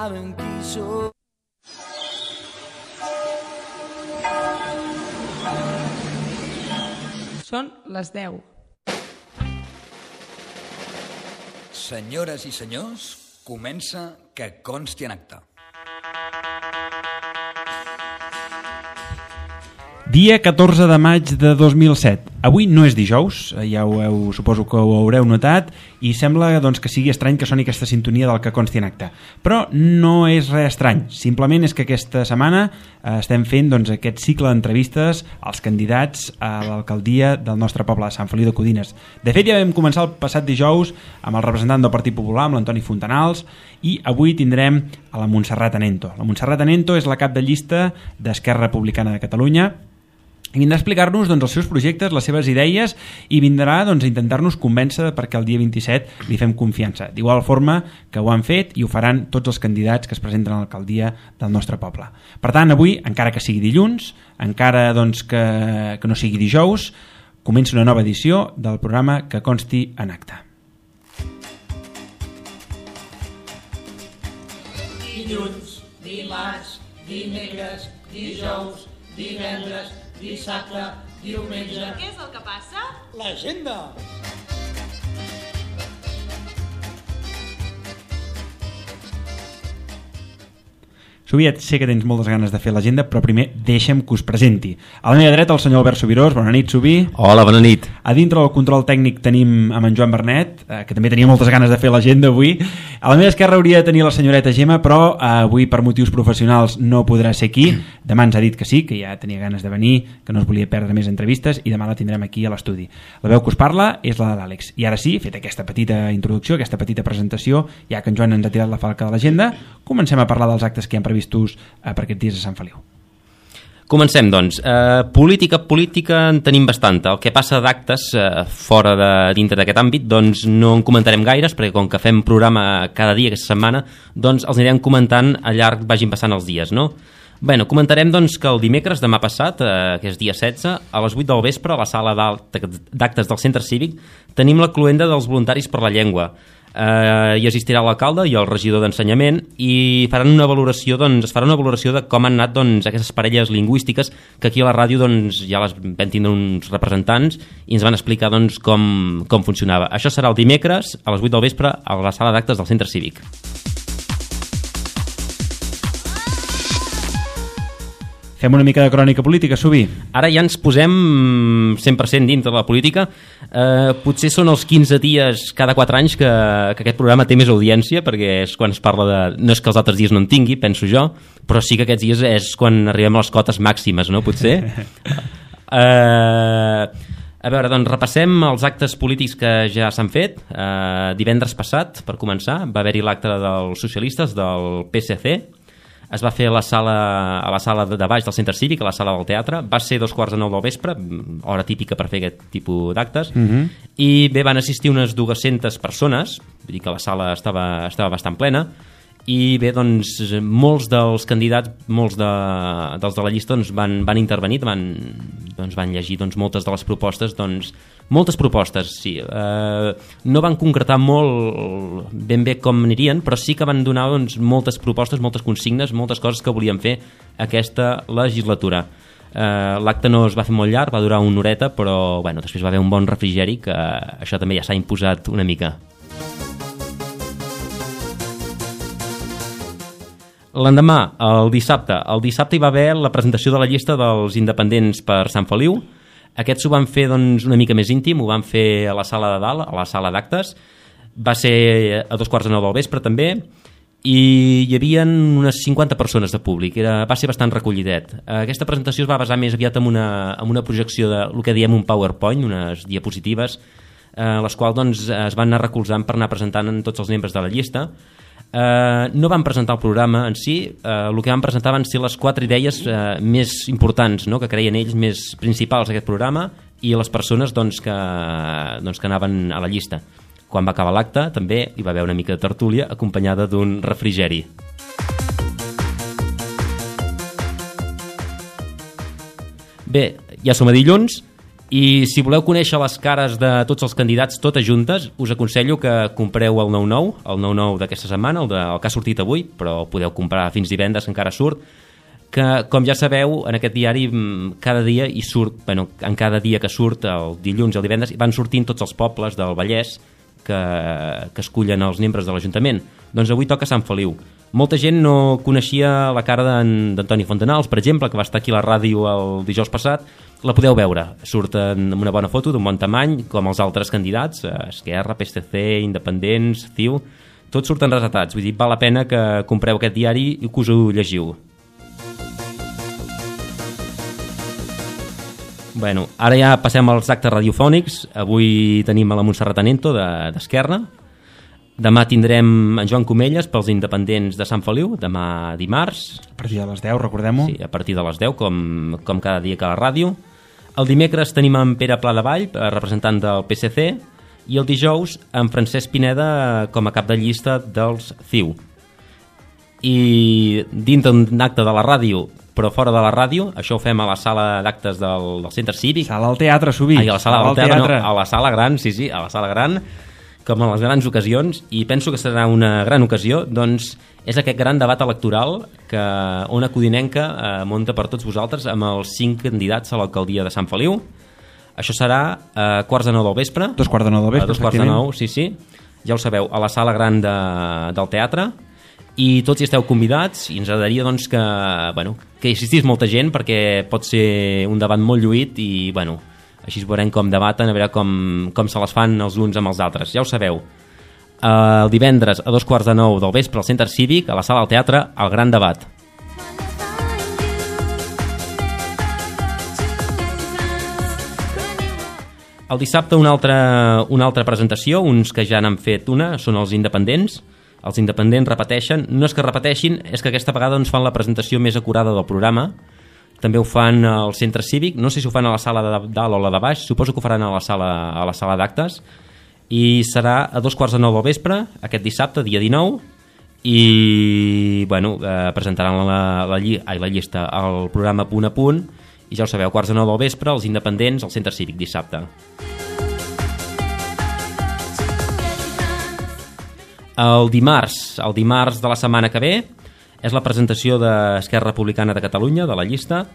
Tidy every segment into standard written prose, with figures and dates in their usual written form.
saben qui sóc. Són les 10. Senyores i senyors, comença Que consti en acta. Dia 14 de maig de 2007. Avui no és dijous, ja suposo que ho haureu notat, i sembla doncs, que sigui estrany que soni aquesta sintonia del Que consti en acta. Però no és res estrany, simplement és que aquesta setmana estem fent doncs, aquest cicle d'entrevistes als candidats a l'alcaldia del nostre poble de Sant Feliu de Codines. De fet, ja vam començar el passat dijous amb el representant del Partit Popular, amb l'Antoni Fontanals, i avui tindrem a la Montserrat Anento. La Montserrat Anento és la cap de llista d'Esquerra Republicana de Catalunya, i vindrà a explicar-nos doncs, els seus projectes, les seves idees, i vindrà doncs, a intentar-nos convèncer perquè el dia 27 li fem confiança. D'igual forma que ho han fet i ho faran tots els candidats que es presenten a l'alcaldia del nostre poble. Per tant, avui, encara que sigui dilluns, encara doncs, que no sigui dijous, comença una nova edició del programa Que consti en acta. Dilluns, dimarts, dimecres, dijous, divendres, dissabte, diumenge... Què és el que passa? L'agenda! Soviet, sé que tens moltes ganes de fer l'agenda, però primer deixa'm que us presenti. A la meva dreta el senyor Albert Subirós. Bona nit, Subi. Hola, bona nit. A dintre del control tècnic tenim amb en Joan Bernet, que també tenia moltes ganes de fer l'agenda avui. A la meva esquerra hauria de tenir la senyoreta Gemma, però avui per motius professionals no podrà ser aquí. Demà ens ha dit que sí, que ja tenia ganes de venir, que no es volia perdre més entrevistes, i demà la tindrem aquí a l'estudi. La veu que us parla és la de l'Àlex. I ara sí, fet aquesta petita introducció, aquesta petita presentació, ja que en Joan ens ha tirat la falca de l'agenda, comencem a parlar dels actes que hi han previstos per aquests dies a Sant Feliu. Comencem, doncs. Política en tenim bastanta. El que passa d'actes dintre d'aquest àmbit, doncs no en comentarem gaires, perquè com que fem programa cada dia aquesta setmana, doncs els anirem comentant al llarg vagin passant els dies, no? Bueno, comentarem doncs que el dimecres, demà passat, que és dia 16, a les 8 del vespre, a la sala d'actes del Centre Cívic, tenim la cloenda dels voluntaris per la llengua. Hi assistirà l'alcalde i el regidor d'ensenyament i faran una valoració, es farà una valoració de com han anat aquestes parelles lingüístiques que aquí a la ràdio ja les vam tindre uns representants i ens van explicar com funcionava. Això serà el dimecres a les 8 del vespre a la sala d'actes del Centre Cívic. Fem una mica de crònica política, Subi. Ara ja ens posem 100% dintre de la política. Potser són els 15 dies cada 4 anys que aquest programa té més audiència, perquè és quan es parla de... No és que els altres dies no en tingui, penso jo, però sí que aquests dies és quan arribem a les cotes màximes, no? Potser. A veure, doncs repassem els actes polítics que ja s'han fet. Divendres passat, per començar, va haver-hi l'acte dels socialistes del PSC. Es va fer a la sala de baix del Centre Cívic, a la sala del teatre. Va ser 2:45 del vespre, hora típica per fer aquest tipus d'actes. I bé, van assistir unes 200 persones, vull dir que la sala estava bastant plena. I bé, doncs, molts dels candidats, molts dels de la llista van intervenir, van llegir moltes de les propostes, moltes propostes, sí. No van concretar molt ben bé com anirien, però sí que van donar moltes propostes, moltes consignes, moltes coses que volien fer aquesta legislatura. L'acte no es va fer molt llarg, va durar una horeta, però bueno, després va haver un bon refrigeri, que això també ja s'ha imposat una mica. L'endemà, el dissabte hi va haver la presentació de la llista dels independents per Sant Feliu. Aquests ho van fer una mica més íntim, ho van fer a la sala de dalt, a la sala d'actes. Va ser a 2:45 del vespre també, i hi havia unes 50 persones de públic. Va ser bastant recollidet. Aquesta presentació es va basar més aviat en una projecció de el que diem un PowerPoint, unes diapositives, les quals es van anar recolzant per anar presentant en tots els membres de la llista. No van presentar el programa en si, el que van presentar van ser les 4 idees més importants, no?, que creien ells més principals d'aquest programa, i les persones que anaven a la llista. Quan va acabar l'acte també hi va haver una mica de tertúlia acompanyada d'un refrigeri. Bé, ja som a dilluns I si voleu conèixer les cares de tots els candidats totes juntes, us aconsello que compreu el 99 d'aquesta setmana, el que ha sortit avui, però podeu comprar fins divendres, que encara surt, que, com ja sabeu, en aquest diari cada dia hi surt, en cada dia que surt, el dilluns i el divendres, van sortint tots els pobles del Vallès que escullen els membres de l'Ajuntament. Doncs avui toca Sant Feliu. Molta gent no coneixia la cara d'Antoni Fontanals, per exemple, que va estar aquí a la ràdio el dijous passat. La podeu veure, surt amb una bona foto, d'un bon tamany, com els altres candidats, Esquerra, PSC, Independents, CiU, tots surten retratats. Vull dir, val la pena que compreu aquest diari i que us ho llegiu. Bueno, ara ja passem als actes radiofònics. Avui tenim a la Montserrat Anento d'Esquerra. Demà tindrem en Joan Comelles pels Independents de Sant Feliu, demà dimarts. A partir de les 10, recordem-ho. Sí, a partir de les 10, com cada dia que a la ràdio. El dimecres tenim en Pere Pladevall, representant del PSC, i el dijous en Francesc Pineda com a cap de llista dels CiU. I dintre d'un acte de la ràdio, però fora de la ràdio, això ho fem a la sala d'actes del Centre Cívic. Sala al teatre, Subí. Ai, a la sala del teatre, no, a la sala gran, sí, a la sala gran, com en les grans ocasions, i penso que serà una gran ocasió. Doncs és aquest gran debat electoral que Ona Codinenca munta per tots vosaltres amb els 5 candidats a l'alcaldia de Sant Feliu. Això serà a 8:45 del vespre. 2:45 del vespre, efectivament. 2:45, sí. Ja ho sabeu, a la sala gran del teatre. I tots hi esteu convidats i ens agradaria doncs, que hi assistís molta gent, perquè pot ser un debat molt lluït i així veurem com debaten, a veure com se les fan els uns amb els altres. Ja ho sabeu, el divendres a 8:45 del vespre al Centre Cívic, a la sala del teatre, el gran debat. El dissabte una altra presentació, uns que ja n'han fet una, són els Independents. Els Independents repeteixen, no és que repeteixin, és que aquesta vegada ens fan la presentació més acurada del programa. També ho fan al Centre Cívic, no sé si ho fan a la sala de dalt o la de baix, suposo que ho faran a la sala d'actes, i serà a 2:45 del vespre, aquest dissabte, dia 19, i presentaran la llista, el programa punt a punt, i ja ho sabeu, 8:45 del vespre, els Independents al Centre Cívic dissabte. El dimarts de la setmana que ve és la presentació d'Esquerra Republicana de Catalunya, de la llista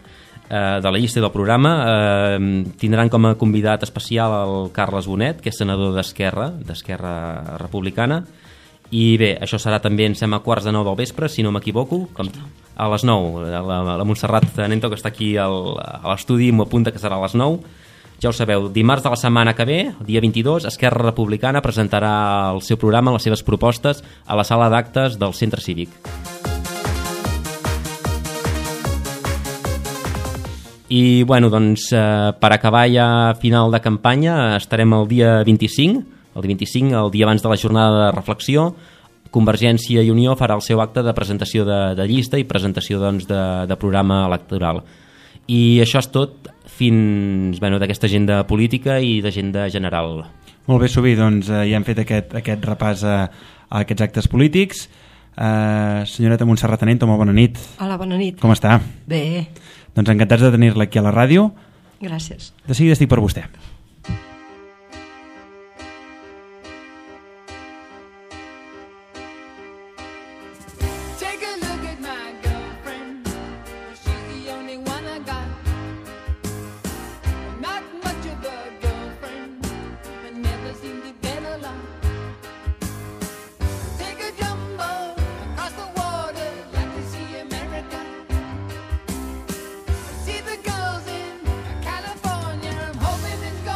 i del programa. Tindran com a convidat especial el Carles Bonet, que és senador d'Esquerra Republicana. I bé, això serà també, em sembla, a 8:45 del vespre, si no m'equivoco, a les 9. La Montserrat Anento, que està aquí a l'estudi, m'ho apunta que serà a les 9. Ja ho sabeu, dimarts de la setmana que ve, dia 22, Esquerra Republicana presentarà el seu programa, les seves propostes, a la sala d'actes del Centre Cívic. I, per acabar ja a final de campanya, estarem el dia 25, el dia abans de la jornada de reflexió. Convergència i Unió farà el seu acte de presentació de llista i presentació de programa electoral. I això és tot fins d'aquesta agenda política i d'agenda general. Molt bé, Subí, doncs ja hem fet aquest repàs a aquests actes polítics. Senyoreta Montserrat Anento, molt bona nit. Hola, bona nit. Com està? Bé. Doncs encantats de tenir-la aquí a la ràdio. Gràcies. De seguida estic per vostè. See the girls in California, I'm hoping it's gone.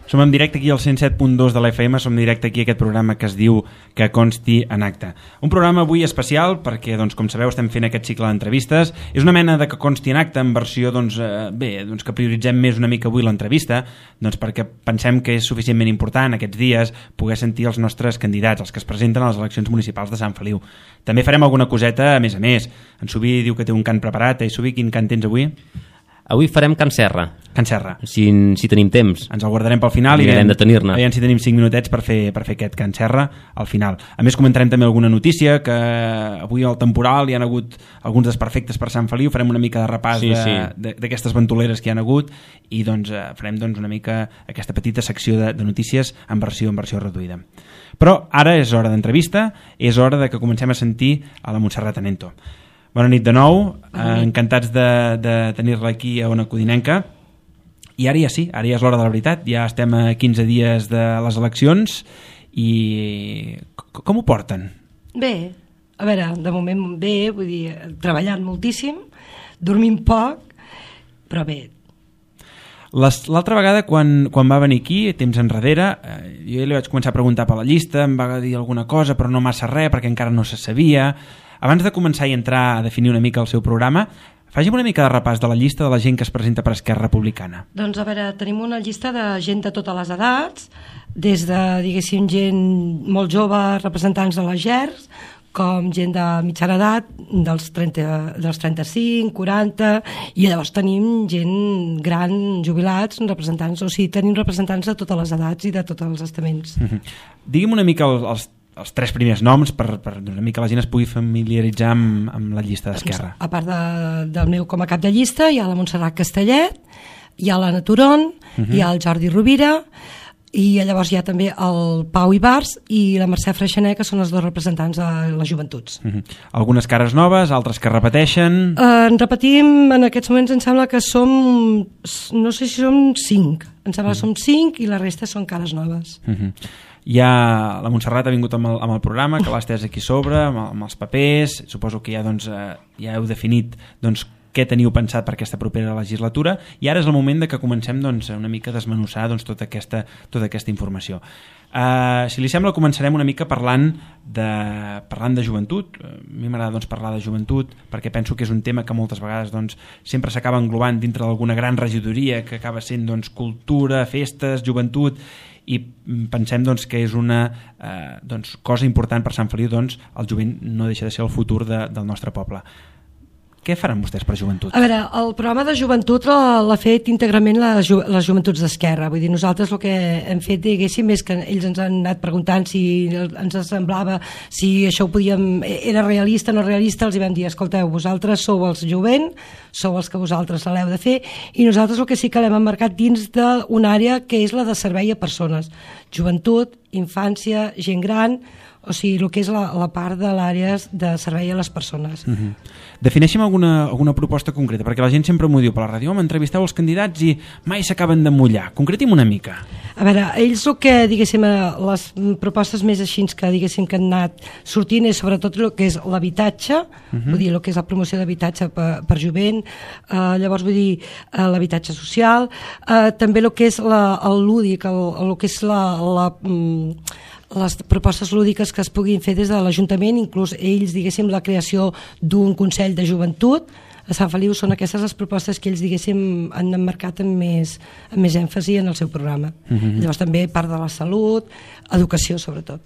Som en directe aquí al 107.2 de la FM, som en directe aquí a aquest programa que es diu Que consti en acta. Un programa avui especial perquè, doncs, com sabeu, estem fent aquest cicle d'entrevistes. És una mena de Que consti en acta en versió, doncs, que prioritzem més una mica avui l'entrevista, doncs perquè pensem que és suficientment important aquests dies poder sentir els nostres candidats, els que es presenten a les eleccions municipals de Sant Feliu. També farem alguna coseta a més. En Subi diu que té un cant preparat. Subi, quin cant tens avui? Avui farem Can Serra. Can Serra. Si tenim temps. Ens el guardarem pel final i mirarem de tenir-ne. Aviam si tenim 5 minutets per fer aquest Can Serra al final. A més, comentarem també alguna notícia, que avui al temporal hi ha hagut alguns desperfectes per Sant Feliu, farem una mica de repàs d'aquestes ventoleres que hi ha hagut i doncs farem una mica aquesta petita secció de notícies en versió reduïda. Però ara és hora d'entrevista, és hora de que comencem a sentir a la Montserrat Anento. Bona nit de nou, encantats de tenir-la aquí a Ona Codinenca. I ara ja sí, ara ja és l'hora de la veritat, ja estem a 15 dies de les eleccions i com ho porten? Bé, a veure, de moment bé, vull dir, treballant moltíssim, dormint poc, però bé. L'altra vegada, quan va venir aquí, temps enrere, jo li vaig començar a preguntar per la llista, em va dir alguna cosa, però no massa res, perquè encara no se sabia. Abans de començar i entrar a definir una mica el seu programa, faci'm una mica de repàs de la llista de la gent que es presenta per Esquerra Republicana. Doncs a veure, tenim una llista de gent de totes les edats, des de, diguéssim, gent molt jove, representants de les GERs, com gent de mitjana edat, dels 35, 40, i llavors tenim gent gran, jubilats, representants, o sigui, tenim representants de totes les edats i de tots els estaments. Digui'm una mica els 3 primers noms per una mica la gent es pugui familiaritzar amb la llista d'Esquerra. A part del meu com a cap de llista hi ha la Montserrat Castellet, hi ha l'Anna Turon, hi ha el Jordi Rovira i llavors hi ha també el Pau Ibars i la Mercè Freixenet, que són els 2 representants de les joventuts. Algunes cares noves, altres que repeteixen? En repetim, en aquests moments em sembla que som, no sé si som 5, em sembla que som 5 i la resta són cares noves. Ja la Montserrat ha vingut amb el programa, que l'ha estès aquí sobre, amb els papers. Suposo que ja heu definit què teniu pensat per aquesta propera legislatura i ara és el moment de que comencem una mica a desmenuçar tota aquesta informació. Si li sembla, començarem una mica parlant de joventut. A mi m'agrada parlar de joventut perquè penso que és un tema que moltes vegades sempre s'acaba englobant dintre d'alguna gran regidoria que acaba sent cultura, festes, joventut, i pensem que és una cosa important per Sant Feliu. El jovent no deixa de ser el futur del nostre poble. Què faran vostès per joventut? A veure, el programa de joventut l'ha fet íntegrament les joventuts d'Esquerra. Vull dir, nosaltres el que hem fet, diguéssim, és que ells ens han anat preguntant si ens semblava, si això era realista o no realista. Els hi vam dir, escolteu, vosaltres sou els jovent, sou els que vosaltres l'heu de fer, i nosaltres el que sí que l'hem emmarcat dins d'una àrea que és la de servei a persones. Joventut, infància, gent gran, o sigui, el que és la part de l'àrea de servei a les persones. Defineixem alguna proposta concreta, perquè la gent sempre m'ho diu per la ràdio, m'entrevisteu els candidats i mai s'acaben de mullar. Concretim una mica. A veure, ells el que, diguéssim, les propostes més així que, diguéssim, que han anat sortint és sobretot el que és l'habitatge, vull dir, el que és la promoció d'habitatge per jovent, llavors vull dir l'habitatge social, també el que és el lúdic, el que és les propostes lúdiques que es puguin fer des de l'Ajuntament, inclús ells, diguéssim, la creació d'un Consell de Joventut a Sant Feliu. Són aquestes les propostes que ells, diguéssim, han emmarcat amb més èmfasi en el seu programa. Llavors també part de la salut, educació sobretot.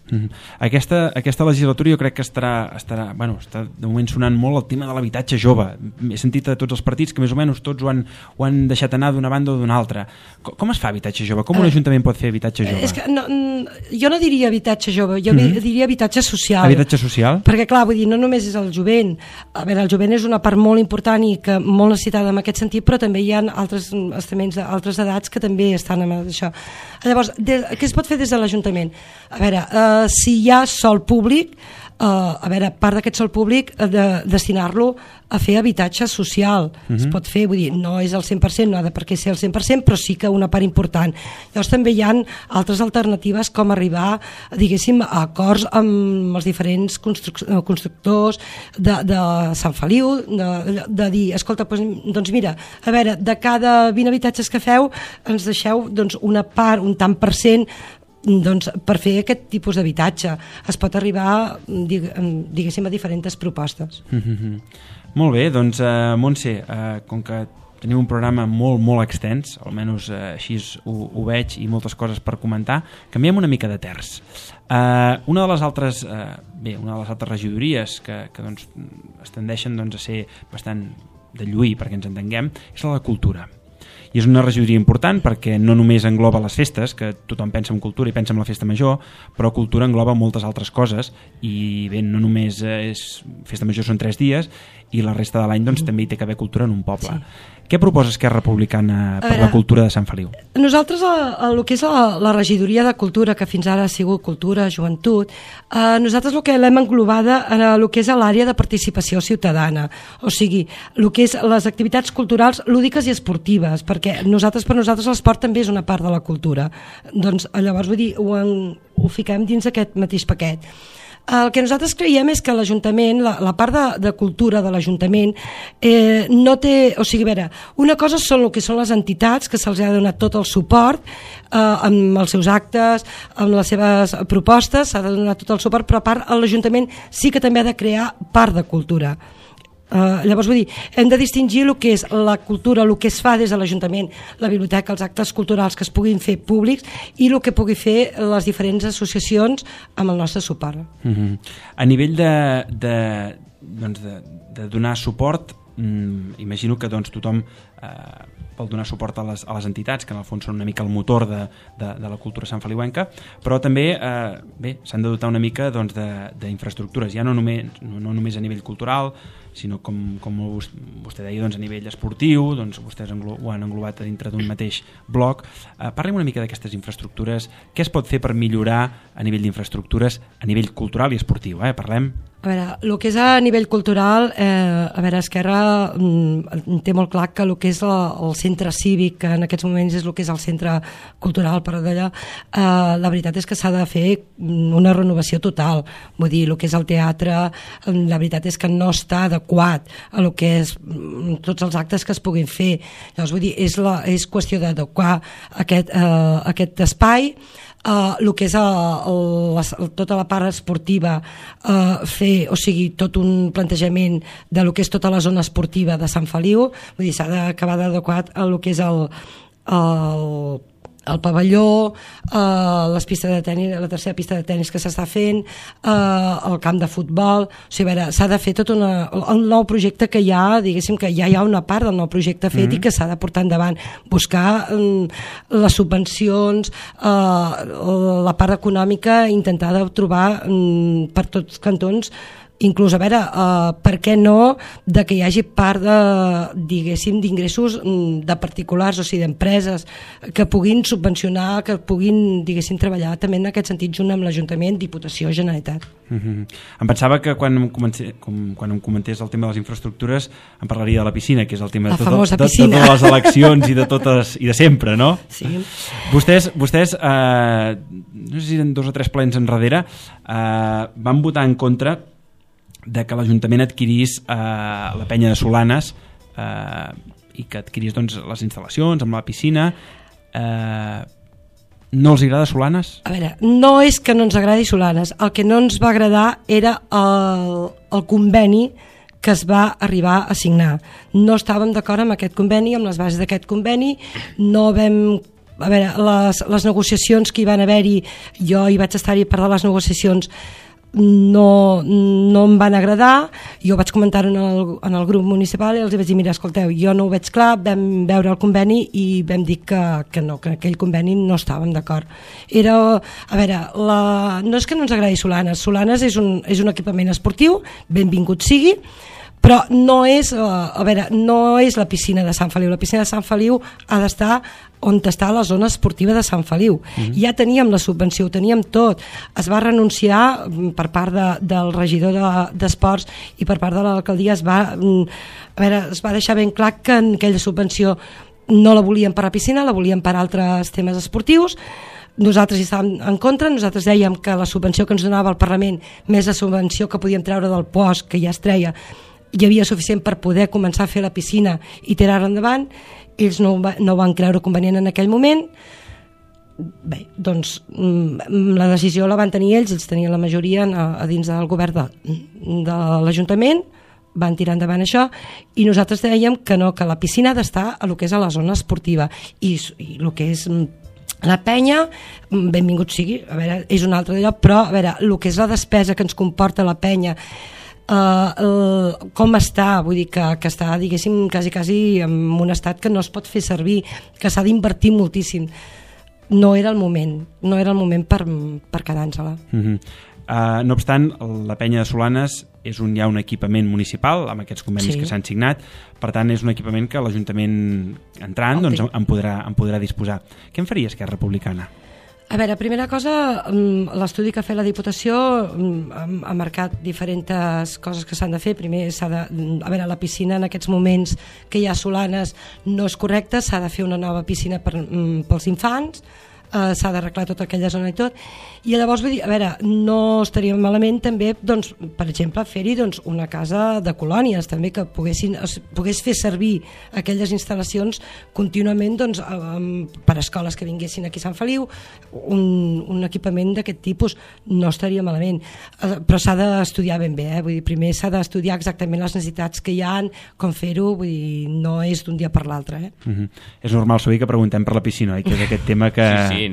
Aquesta legislatura jo crec que està de moment sonant molt el tema de l'habitatge jove. He sentit a tots els partits que més o menys tots ho han deixat anar d'una banda o d'una altra. Com es fa habitatge jove? Com un ajuntament pot fer habitatge jove? És que jo no diria habitatge jove, jo diria habitatge social. Habitatge social? Perquè clar, vull dir, no només és el jovent. A veure, el jovent és una part molt important i que molt necessitada en aquest sentit, però també hi ha altres estaments d'altres edats que també estan amb això. Llavors, què es pot fer des de l'Ajuntament? A veure, si hi ha sòl públic, a veure, part d'aquest sòl públic destinar-lo a fer habitatge social. Es pot fer, vull dir, no és el 100%, no ha de per què ser el 100%, però sí que una part important. Llavors també hi ha altres alternatives com arribar, diguéssim, a acords amb els diferents constructors de Sant Feliu, de dir, escolta, doncs mira, a veure, de cada 20 habitatges que feu ens deixeu doncs, una part, un tant per cent, doncs, per fer aquest tipus d'habitatge. Es pot arribar, diguéssim, a diferents propostes. Molt bé, doncs Montse, com que tenim un programa molt extens, almenys així ho veig, i moltes coses per comentar, canviem una mica de terç. Una de les altres regidories que doncs, es tendeixen doncs, a ser bastant de lluir, perquè ens entenguem, és la de cultura. I és una regidoria important perquè no només engloba les festes, que tothom pensa en cultura i pensa en la festa major, però cultura engloba moltes altres coses, i bé, no només festa major són 3 dies, i la resta de l'any doncs, també hi té que haver cultura en un poble. Sí. Què proposa Esquerra Republicana per la cultura de Sant Feliu? Nosaltres, el que és la regidoria de cultura, que fins ara ha sigut cultura, joventut, nosaltres el que l'hem englobada en el que és l'àrea de participació ciutadana, o sigui, el que és les activitats culturals lúdiques i esportives, perquè per nosaltres l'esport també és una part de la cultura. Doncs llavors, vull dir, ho fiquem dins aquest mateix paquet. El que nosaltres creiem és que l'Ajuntament, la part de cultura de l'Ajuntament no té, o sigui, a veure, una cosa són el que són les entitats, que se'ls ha donat tot el suport amb els seus actes, amb les seves propostes, s'ha de donar tot el suport, però a part l'Ajuntament sí que també ha de crear part de cultura. Llavors, vull dir, hem de distingir el que és la cultura, el que es fa des de l'Ajuntament, la biblioteca, els actes culturals que es puguin fer públics, i el que pugui fer les diferents associacions amb el nostre suport. A nivell de donar suport, imagino que doncs, tothom vol donar suport a les entitats, que en el fons són una mica el motor de la cultura santfeliuenca, però també s'han de dotar una mica doncs, d'infraestructures, ja no només a nivell cultural, sinó com vostè deia, doncs, a nivell esportiu, doncs, vostès ho han englobat dintre d'un mateix bloc. Parlem una mica d'aquestes infraestructures, què es pot fer per millorar a nivell d'infraestructures a nivell cultural i esportiu? Parlem. A veure, el que és a nivell cultural, Esquerra té molt clar que el que és el centre cívic, que en aquests moments és el que és el centre cultural, per d'allà, la veritat és que s'ha de fer una renovació total. Vull dir, el que és el teatre, la veritat és que no està adequat a el que és tots els actes que es puguin fer. Llavors, vull dir, és qüestió d'adequar aquest espai. El que és tota la part esportiva, fer, o sigui, tot un plantejament de lo que és tota la zona esportiva de Sant Feliu, vull dir, s'ha d'acabar d'adequar a lo que és el pavelló, les pistes de tenis, la tercera pista de tenis que s'està fent, el camp de futbol, o sigui, a veure, s'ha de fer tot el nou projecte que hi ha, diguéssim que ja hi ha una part del nou projecte fet i que s'ha de portar endavant, buscar les subvencions, la part econòmica, intentar de trobar per tots cantons, inclús, a veure, per què no de que hi hagi part diguéssim, d'ingressos de particulars, o sigui, d'empreses que puguin subvencionar, que puguin, diguéssim, treballar també en aquest sentit junt amb l'Ajuntament, Diputació, Generalitat. Em pensava que quan em comentés el tema de les infraestructures em parlaria de la piscina, que és el tema de totes les eleccions i de sempre, no? Sí. Vostès no sé si en 2 o 3 plens enrere van votar en contra de que l'Ajuntament adquirís la penya de Solanes i que adquirís doncs, les instal·lacions amb la piscina. No els agrada Solanes? A veure, no és que no ens agradi Solanes, el que no ens va agradar era el conveni que es va arribar a signar. No estàvem d'acord amb aquest conveni, amb les bases d'aquest conveni, no vam... A veure, les negociacions que hi van haver-hi, jo hi vaig estar-hi part de les negociacions, no em van agradar. Jo vaig comentar en el grup municipal i els vaig dir, mira, escolteu, jo no ho veig clar, vam veure el conveni i vam dir que no, que aquell conveni no estàvem d'acord. Era, a veure, no és que no ens agradi Solanes és un equipament esportiu, benvingut sigui, però no és, no és la piscina de Sant Feliu. La piscina de Sant Feliu ha d'estar on està la zona esportiva de Sant Feliu. Ja teníem la subvenció, ho teníem tot. Es va renunciar per part del regidor d'Esports i per part de l'alcaldia es va deixar ben clar que aquella subvenció no la volíem per la piscina, la volíem per altres temes esportius. Nosaltres hi estàvem en contra, nosaltres dèiem que la subvenció que ens donava el Parlament, més la subvenció que podíem treure del POS, que ja es treia, hi havia suficient per poder començar a fer la piscina i tirar-la endavant. Ells no ho van creure convenient en aquell moment. Bé, doncs la decisió la van tenir ells tenien la majoria a dins del govern de l'Ajuntament, van tirar endavant això, i nosaltres dèiem que no, que la piscina ha d'estar a lo que és a la zona esportiva, i el que és la penya, benvingut sigui, a veure, és un altre lloc, però a veure, el que és la despesa que ens comporta la penya, com està, vull dir que està, diguéssim, quasi en un estat que no es pot fer servir, que s'ha d'invertir moltíssim. No era el moment per quedar-nos-la. No obstant, la penya de Solanes és ja un equipament municipal amb aquests convenis que s'han signat, per tant és un equipament que l'Ajuntament entrant doncs, en podrà disposar. Què en faria Esquerra Republicana? A veure, primera cosa, l'estudi que ha fet la Diputació ha marcat diferents coses que s'han de fer. Primer, a veure, la piscina en aquests moments que hi ha a Solanes no és correcta, s'ha de fer una nova piscina pels infants, s'ha d'arreglar tota aquella zona i tot, i llavors vull dir, a veure, no estaria malament també, doncs, per exemple, fer-hi doncs, una casa de colònies també, que pogués fer servir aquelles instal·lacions contínuament doncs, per escoles que vinguessin aquí a Sant Feliu, un equipament d'aquest tipus no estaria malament, però s'ha d'estudiar ben bé, vull dir, primer s'ha d'estudiar exactament les necessitats que hi ha, com fer-ho, vull dir, no és d'un dia per l'altre. És normal sovint que preguntem per la piscina, que és aquest tema que i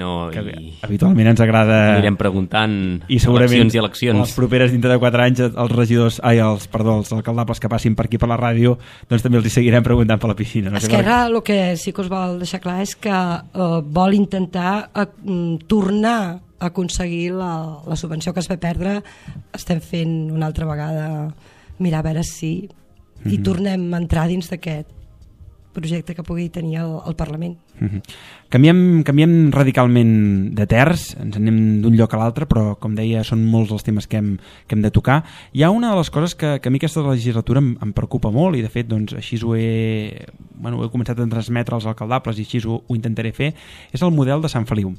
habitualment ens agrada. Anirem preguntant i segurament eleccions i eleccions. Les properes dintre de 4 anys els regidors, els alcaldables que passin per aquí per la ràdio, doncs també els hi seguirem preguntant per la piscina. Esquerra el que sí que us vol deixar clar és que vol intentar tornar a aconseguir la subvenció que es va perdre. Estem fent una altra vegada mirar a veure si i tornem a entrar dins d'aquest projecte que pugui tenir el Parlament. Canviem radicalment de terç, ens anem d'un lloc a l'altre, però com deia són molts els temes que hem de tocar. Hi ha una de les coses que a mi aquesta legislatura em preocupa molt, i de fet doncs, així ho he començat a transmetre als alcaldables i així ho intentaré fer, és el model de Sant Feliu.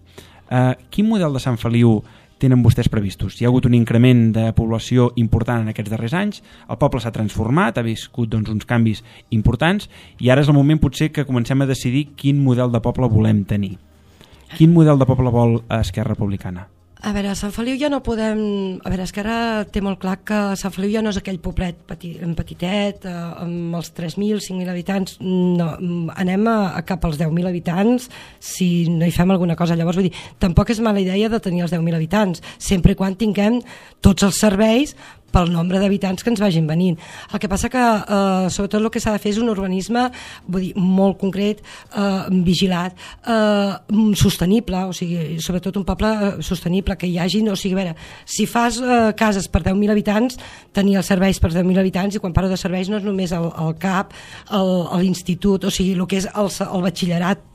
Quin model de Sant Feliu tenen vostès previstos? Hi ha hagut un increment de població important en aquests darrers anys, el poble s'ha transformat, ha viscut doncs, uns canvis importants, i ara és el moment potser que comencem a decidir quin model de poble volem tenir. Quin model de poble vol Esquerra Republicana? A veure, a Sant Feliu ja no podem... A veure, Esquerra té molt clar que Sant Feliu ja no és aquell poblet petitet, amb els 3.000, 5.000 habitants. No, anem a cap als 10.000 habitants si no hi fem alguna cosa. Llavors, vull dir, tampoc és mala idea de tenir els 10.000 habitants, sempre i quan tinguem tots els serveis pel nombre d'habitants que ens vagin venint. El que passa que, sobretot, el que s'ha de fer és un urbanisme, vull dir, molt concret, vigilat, sostenible, o sigui, sobretot un poble sostenible, que hi hagi, o sigui, a veure, si fas cases per 10.000 habitants, tenir els serveis per 10.000 habitants, i quan parlo de serveis no és només el CAP, l'institut, o sigui, el que és el batxillerat,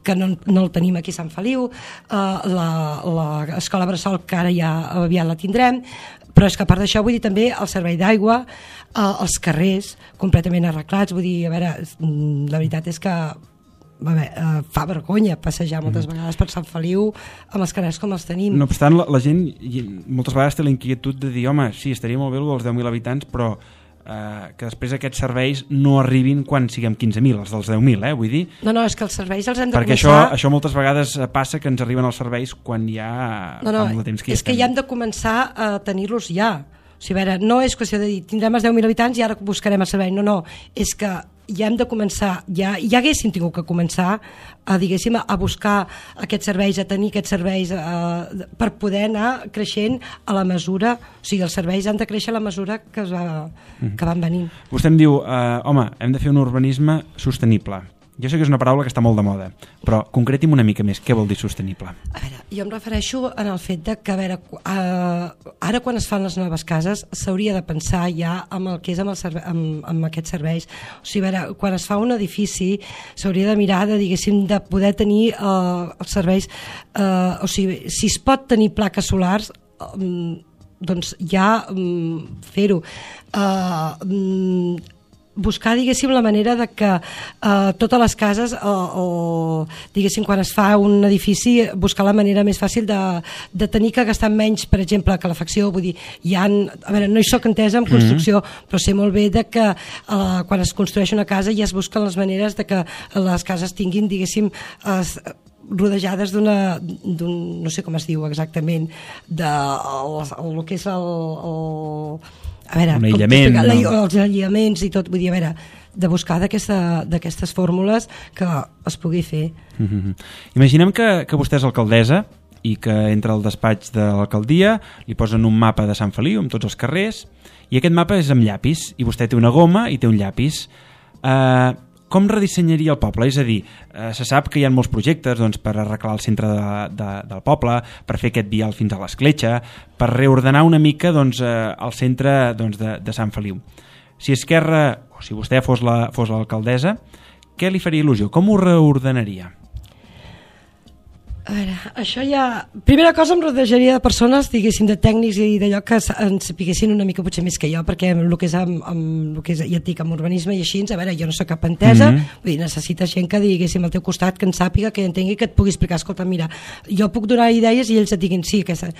que no el tenim aquí a Sant Feliu, l'escola bressol, que ara ja aviat la tindrem, però és que a part d'això vull dir també el servei d'aigua, els carrers completament arreglats, vull dir, a veure, la veritat és que fa vergonya passejar moltes vegades per Sant Feliu amb els carrers com els tenim. No obstant, la gent moltes vegades té la inquietud de dir, home, sí, estaria molt bé els 10.000 habitants, però que després aquests serveis no arribin quan siguem 15.000, els dels 10.000, vull dir... No, és que els serveis els hem de perquè començar... Perquè això moltes vegades passa que ens arriben els serveis quan ja... No, és que ja hem de començar a tenir-los ja. O sigui, a veure, no és qüestió de dir tindrem els 10.000 habitants i ara buscarem el servei. No, és que ja hem de començar, ja haguéssim tingut que començar a buscar aquests serveis, a tenir aquests serveis per poder anar creixent a la mesura, o sigui, els serveis han de créixer a la mesura que van venint. Vostè em diu, home, hem de fer un urbanisme sostenible. Jo sé que és una paraula que està molt de moda, però concreti'm una mica més, què vol dir sostenible? A veure, jo em refereixo en el fet de que, a veure, ara quan es fan les noves cases s'hauria de pensar ja amb el que és amb aquests serveis. O sigui, a veure, quan es fa un edifici s'hauria de mirar de poder tenir els serveis, o sigui, si es pot tenir plaques solars, doncs ja fer-ho. buscar, diguéssim, la manera de que totes les cases, diguéssim, quan es fa un edifici, buscar la manera més fàcil de tenir que gastar menys, per exemple, calefacció. Vull dir, a veure, no hi soc entesa en construcció, però sé molt bé de que quan es construeix una casa ja es busquen les maneres de que les cases tinguin, diguéssim, rodejades no sé com es diu exactament, el que és a veure, un aïllament, els aïllaments i tot, vull dir, a veure, de buscar d'aquestes fórmules que es pugui fer. Imaginem que vostè és alcaldessa i que entra al despatx de l'alcaldia, li posen un mapa de Sant Feliu amb tots els carrers, i aquest mapa és amb llapis, i vostè té una goma i té un llapis. Com redissenyaria el poble? És a dir, se sap que hi ha molts projectes per arreglar el centre del poble, per fer aquest vial fins a l'Escletxa, per reordenar una mica el centre de Sant Feliu. Si Esquerra, o si vostè fos l'alcaldessa, què li faria il·lusió? Com ho reordenaria? A veure, això ja... Primera cosa, em rodejaria de persones, diguéssim, de tècnics i d'allò que ens sapiguessin una mica potser més que jo, perquè el que és ja et dic, amb urbanisme i així, a veure, jo no soc cap entesa, vull dir, necessites gent que diguéssim al teu costat, que en sàpiga, que entengui, que et pugui explicar, escolta, mira, jo puc donar idees i ells et diguin sí, aquesta...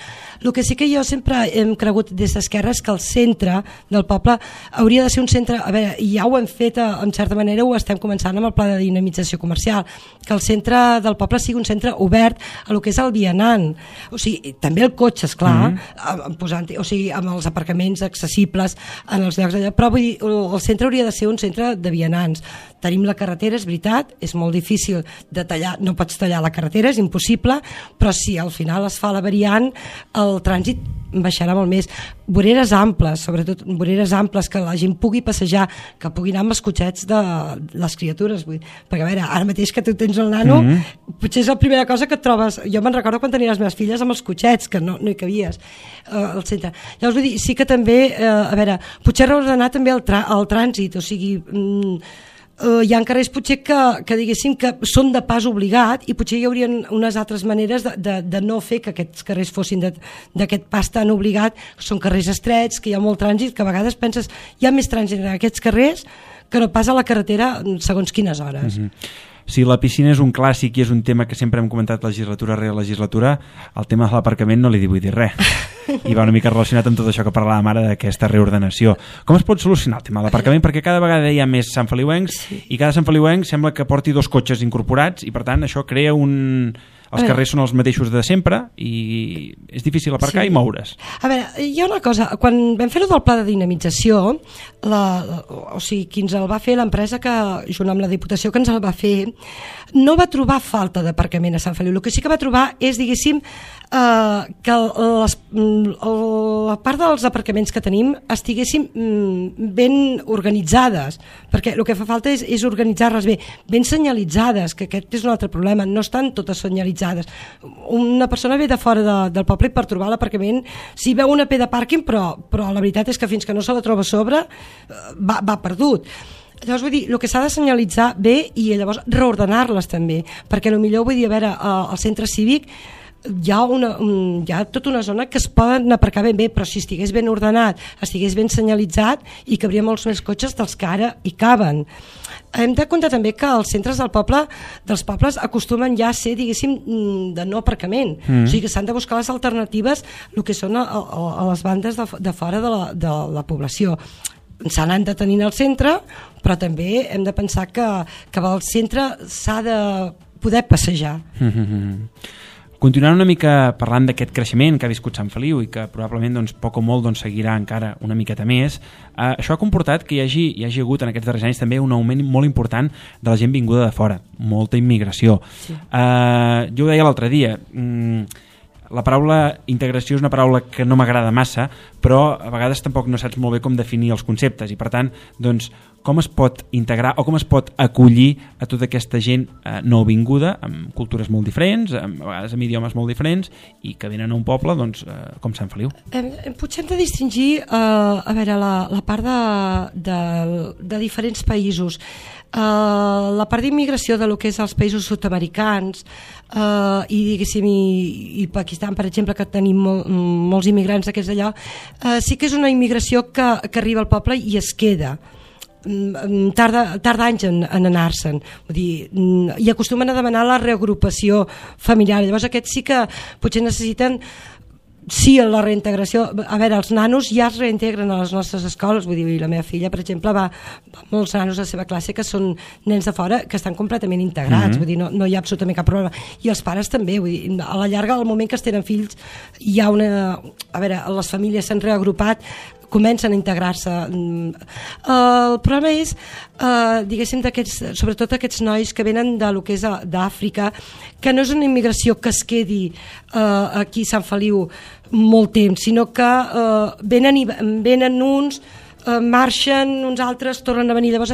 El que sí que jo sempre hem cregut des d'Esquerra és que el centre del poble hauria de ser un centre, a veure, ja ho hem fet, en certa manera ho estem començant amb el pla de dinamització comercial, que el centre del poble sigui un centre obert a lo que és el vianant, o sigui, també el cotxe, esclar, o sigui, amb els aparcaments accessibles en els llocs d'allà, però vull dir, el centre hauria de ser un centre de vianants. Tenim la carretera, és veritat, és molt difícil de tallar, no pots tallar la carretera, és impossible, però si al final es fa la variant, el trànsit baixarà molt més. Voreres amples, sobretot voreres amples, que la gent pugui passejar, que pugui anar amb els cotxets de les criatures, vull dir, perquè a veure, ara mateix que tu tens el nano, potser és la primera cosa que et trobes. Jo me'n recordo quan tenia les meves filles amb els cotxets, que no hi cabies al centre. Llavors vull dir, sí que també, a veure, potser reordenar també el trànsit, o sigui... hi ha carrers potser que diguéssim que són de pas obligat i potser hi haurien unes altres maneres de no fer que aquests carrers fossin d'aquest pas tan obligat. Són carrers estrets, que hi ha molt trànsit, que a vegades penses hi ha més trànsit en aquests carrers que no pas a la carretera segons quines hores. Si la piscina és un clàssic i és un tema que sempre hem comentat legislatura rere legislatura, el tema de l'aparcament no li vull dir res. I va una mica relacionat amb tot això que parlàvem ara d'aquesta reordenació. Com es pot solucionar el tema de l'aparcament? Perquè cada vegada hi ha més santfeliuencs i cada santfeliuenc sembla que porti 2 cotxes incorporats i per tant això crea els carrers són els mateixos de sempre i és difícil aparcar i moure's. A veure, hi ha una cosa, quan vam fer-ho del pla de dinamització, o sigui, qui ens el va fer, l'empresa que, junt amb la Diputació que ens el va fer, no va trobar falta d'aparcament a Sant Feliu. El que sí que va trobar és, diguéssim, que la part dels aparcaments que tenim estiguessin ben organitzades, perquè el que fa falta és organitzar-les bé, ben senyalitzades, que aquest és un altre problema, no estan totes senyalitzades. Una persona ve de fora del poble i per trobar l'aparcament si veu una P de pàrquing, però la veritat és que fins que no se la troba a sobre va perdut. Llavors vull dir, el que s'ha de senyalitzar bé i llavors reordenar-les també, perquè potser vull dir, a veure, al centre cívic hi ha tota una zona que es poden aparcar ben bé, però si estigués ben ordenat, estigués ben senyalitzat i cabria molts més cotxes dels que ara hi caben. Hem de comptar també que els centres dels pobles acostumen ja a ser, diguéssim, de no aparcament. O sigui que s'han de buscar les alternatives el que són a les bandes de fora de la població. Se n'han de tenir al centre, però també hem de pensar que al centre s'ha de poder passejar. Continuant una mica parlant d'aquest creixement que ha viscut Sant Feliu i que probablement poc o molt seguirà encara una miqueta més, això ha comportat que hi hagi hagut en aquests darrers anys també un augment molt important de la gent vinguda de fora, molta immigració. Sí. Jo ho deia l'altre dia, la paraula integració és una paraula que no m'agrada massa, però a vegades tampoc no saps molt bé com definir els conceptes i per tant, com es pot integrar o com es pot acollir a tota aquesta gent nouvinguda amb cultures molt diferents, a vegades amb idiomes molt diferents i que venen a un poble com Sant Feliu. Potser hem de distingir a veure, la part de diferents països. La part d'immigració de lo que és els països sud-americans i diguéssim i Pakistan, per exemple, que tenim molts immigrants d'aquests d'allò, sí que és una immigració que arriba al poble i es queda. tarda anys en anar-se'n, vull dir, i acostumen a demanar la reagrupació familiar. Llavors aquests sí que potser necessiten la reintegració. A veure, els nanos ja es reintegren a les nostres escoles, vull dir, la meva filla, per exemple, va molts nanos a la seva classe que són nens de fora que estan completament integrats, vull dir, no hi ha absolutament cap problema. I els pares també, vull dir, a la llarga, al moment que es tenen fills, hi ha a veure, les famílies s'han reagrupat, comencen a integrar-se. El problema és, diguéssim, sobretot aquests nois que venen de lo que és d'Àfrica, que no és una immigració que es quedi aquí a Sant Feliu molt temps, sinó que venen uns, marxen, uns altres tornen a venir. Llavors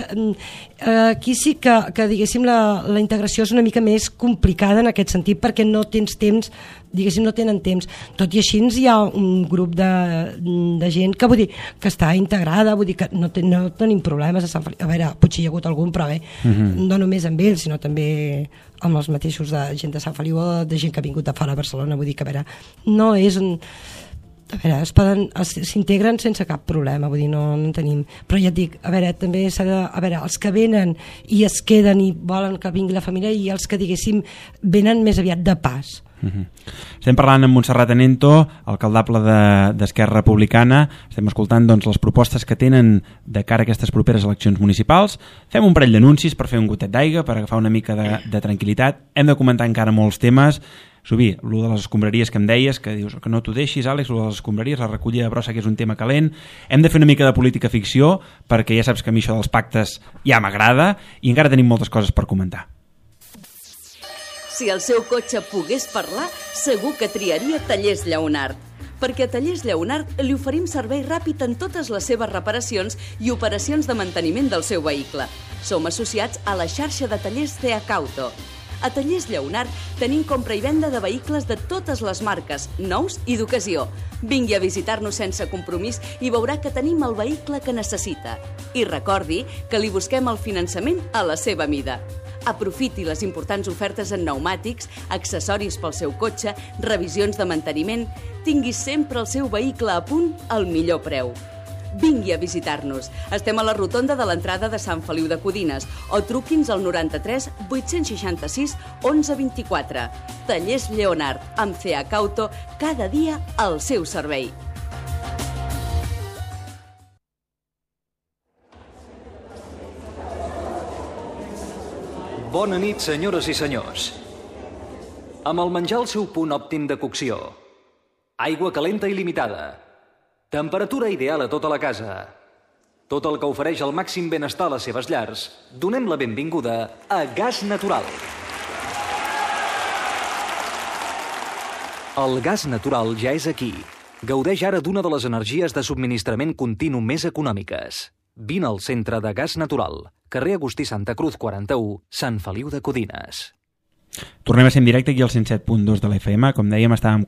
aquí sí que diguéssim la integració és una mica més complicada en aquest sentit, perquè no tens temps, diguéssim, no tenen temps. Tot i així hi ha un grup de gent que, vull dir, que està integrada, vull dir que no tenim problemes a Sant Feliu. A veure, potser hi ha hagut algun, però bé, no només amb ells, sinó també amb els mateixos de gent de Sant Feliu o de gent que ha vingut de fora a Barcelona. Vull dir que, a veure, no és a veure, s'integren sense cap problema, vull dir, no en tenim. Però ja et dic, a veure, també s'ha de... A veure, els que venen i es queden i volen que vingui la família, i els que, diguéssim, venen més aviat de pas. Estem parlant amb Montserrat Anento, alcaldable d'Esquerra Republicana. Estem escoltant les propostes que tenen de cara a aquestes properes eleccions municipals. Fem un parell d'anuncis per fer un gotet d'aigua, per agafar una mica de tranquil·litat. Hem de comentar encara molts temes. Subir, allò de les escombraries que em deies, que dius que no t'ho deixis, Àlex, allò de les escombraries, la recollida de brossa, que és un tema calent. Hem de fer una mica de política ficció, perquè ja saps que a mi això dels pactes ja m'agrada, i encara tenim moltes coses per comentar. Si el seu cotxe pogués parlar, segur que triaria Tallers Lleonart. Perquè a Tallers Lleonart li oferim servei ràpid en totes les seves reparacions i operacions de manteniment del seu vehicle. Som associats a la xarxa de tallers CH Auto. A Tallers Lleonart tenim compra i venda de vehicles de totes les marques, nous i d'ocasió. Vingui a visitar-nos sense compromís i veurà que tenim el vehicle que necessita. I recordi que li busquem el finançament a la seva mida. Aprofiti les importants ofertes en pneumàtics, accessoris pel seu cotxe, revisions de manteniment. Tingui sempre el seu vehicle a punt al millor preu. Vingui a visitar-nos. Estem a la rotonda de l'entrada de Sant Feliu de Codines o truqui'ns al 93 866 11 24. Tallers Lleonart, amb CH Auto, cada dia al seu servei. Bona nit, senyores i senyors. Amb el menjar al seu punt òptim de cocció, aigua calenta il·limitada, temperatura ideal a tota la casa, tot el que ofereix el màxim benestar a les seves llars, donem la benvinguda a Gas Natural. El gas natural ja és aquí. Gaudeix ara d'una de les energies de subministrament continu més econòmiques. Vine al centre de Gas Natural, carrer Agustí Santa Cruz 41, Sant Feliu de Codines. Tornem a ser en directe aquí al 107.2 de l'FM. Com dèiem, estem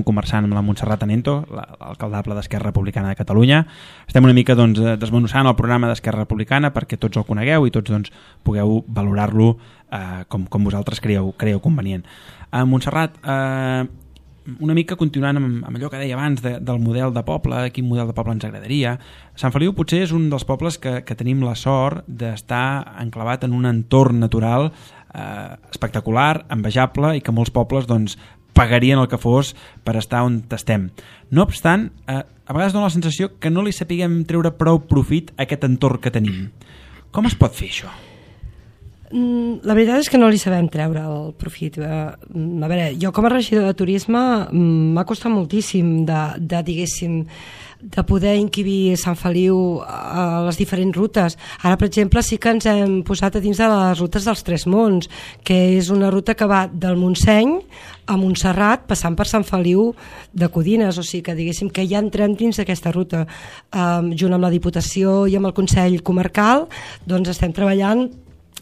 conversant amb la Montserrat Anento, l'alcaldable d'Esquerra Republicana de Catalunya. Estem una mica desmenuçant el programa d'Esquerra Republicana perquè tots el conegueu i tots pugueu valorar-lo com vosaltres creieu convenient. Montserrat, una mica continuant amb allò que deia abans del model de poble, quin model de poble ens agradaria. Sant Feliu potser és un dels pobles que tenim la sort d'estar enclavat en un entorn natural espectacular, envejable, i que molts pobles pagarien el que fos per estar on estem. No obstant, a vegades dona la sensació que no li sapiguem treure prou profit a aquest entorn que tenim. Com es pot fer això? La veritat és que no li sabem treure el profit. A veure, jo com a regidor de turisme m'ha costat moltíssim diguéssim, de poder encabir Sant Feliu a les diferents rutes. Ara, per exemple, sí que ens hem posat a dins de les rutes dels Tres Monts, que és una ruta que va del Montseny a Montserrat, passant per Sant Feliu de Codines, o sigui que diguéssim que ja entrem dins d'aquesta ruta. Junt amb la Diputació i amb el Consell Comarcal, estem treballant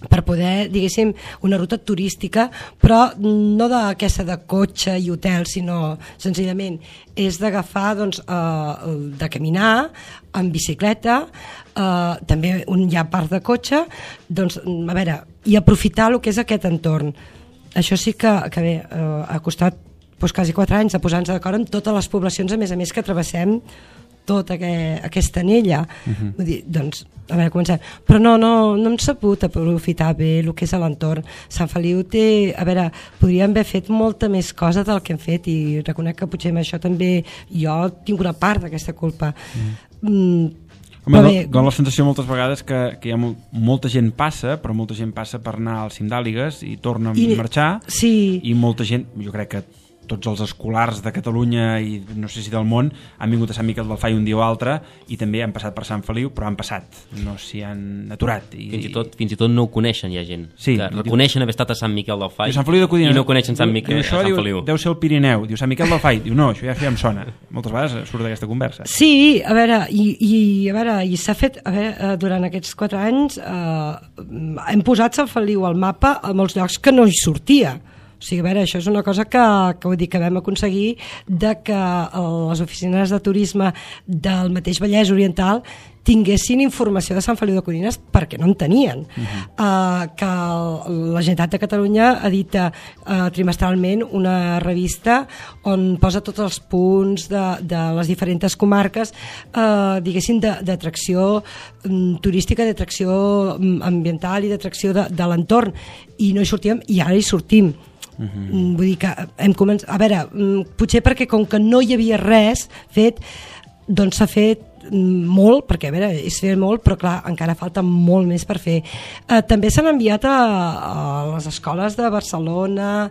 per poder, diguéssim, una ruta turística, però no d'aquesta de cotxe i hotel, sinó senzillament és d'agafar, de caminar en bicicleta, també hi ha part de cotxe, a veure, i aprofitar el que és aquest entorn. Això sí que bé, ha costat quasi 4 anys de posar-nos d'acord amb totes les poblacions, a més que travessem tota aquesta anella. Vull dir, doncs, a veure, comencem. Però no hem sabut aprofitar bé el que és a l'entorn. Sant Feliu té... A veure, podríem haver fet molta més cosa del que hem fet i reconec que potser amb això també jo tinc una part d'aquesta culpa. Home, dona la sensació moltes vegades que hi ha molta gent passa, però molta gent passa per anar al cim d'Àligues i torna a marxar, i molta gent, jo crec que tots els escolars de Catalunya i no sé si del món han vingut a Sant Miquel del Fai un dia o altre i també han passat per Sant Feliu, però han passat, no s'hi han aturat. Fins i tot no ho coneixen, hi ha gent que reconeixen haver estat a Sant Miquel del Fai i no coneixen Sant Feliu. Deu ser el Pirineu, diu Sant Miquel del Fai, diu no, això ja em sona. Moltes vegades surt d'aquesta conversa. Sí, a veure, i s'ha fet, durant aquests 4 anys hem posat Sant Feliu al mapa a molts llocs que no hi sortia. O sigui, a veure, això és una cosa que vull dir que vam aconseguir de que les oficines de turisme del mateix Vallès Oriental tinguessin informació de Sant Feliu de Codines perquè no en tenien. Que la Generalitat de Catalunya edita trimestralment una revista on posa tots els punts de les diferents comarques, diguéssim, d'atracció turística, d'atracció ambiental i d'atracció de l'entorn, i no hi sortíem i ara hi sortim. Vull dir que hem començat, a veure, potser perquè com que no hi havia res fet, doncs s'ha fet molt, perquè a veure, és fer molt, però clar, encara falta molt més per fer. També s'han enviat a les escoles de Barcelona,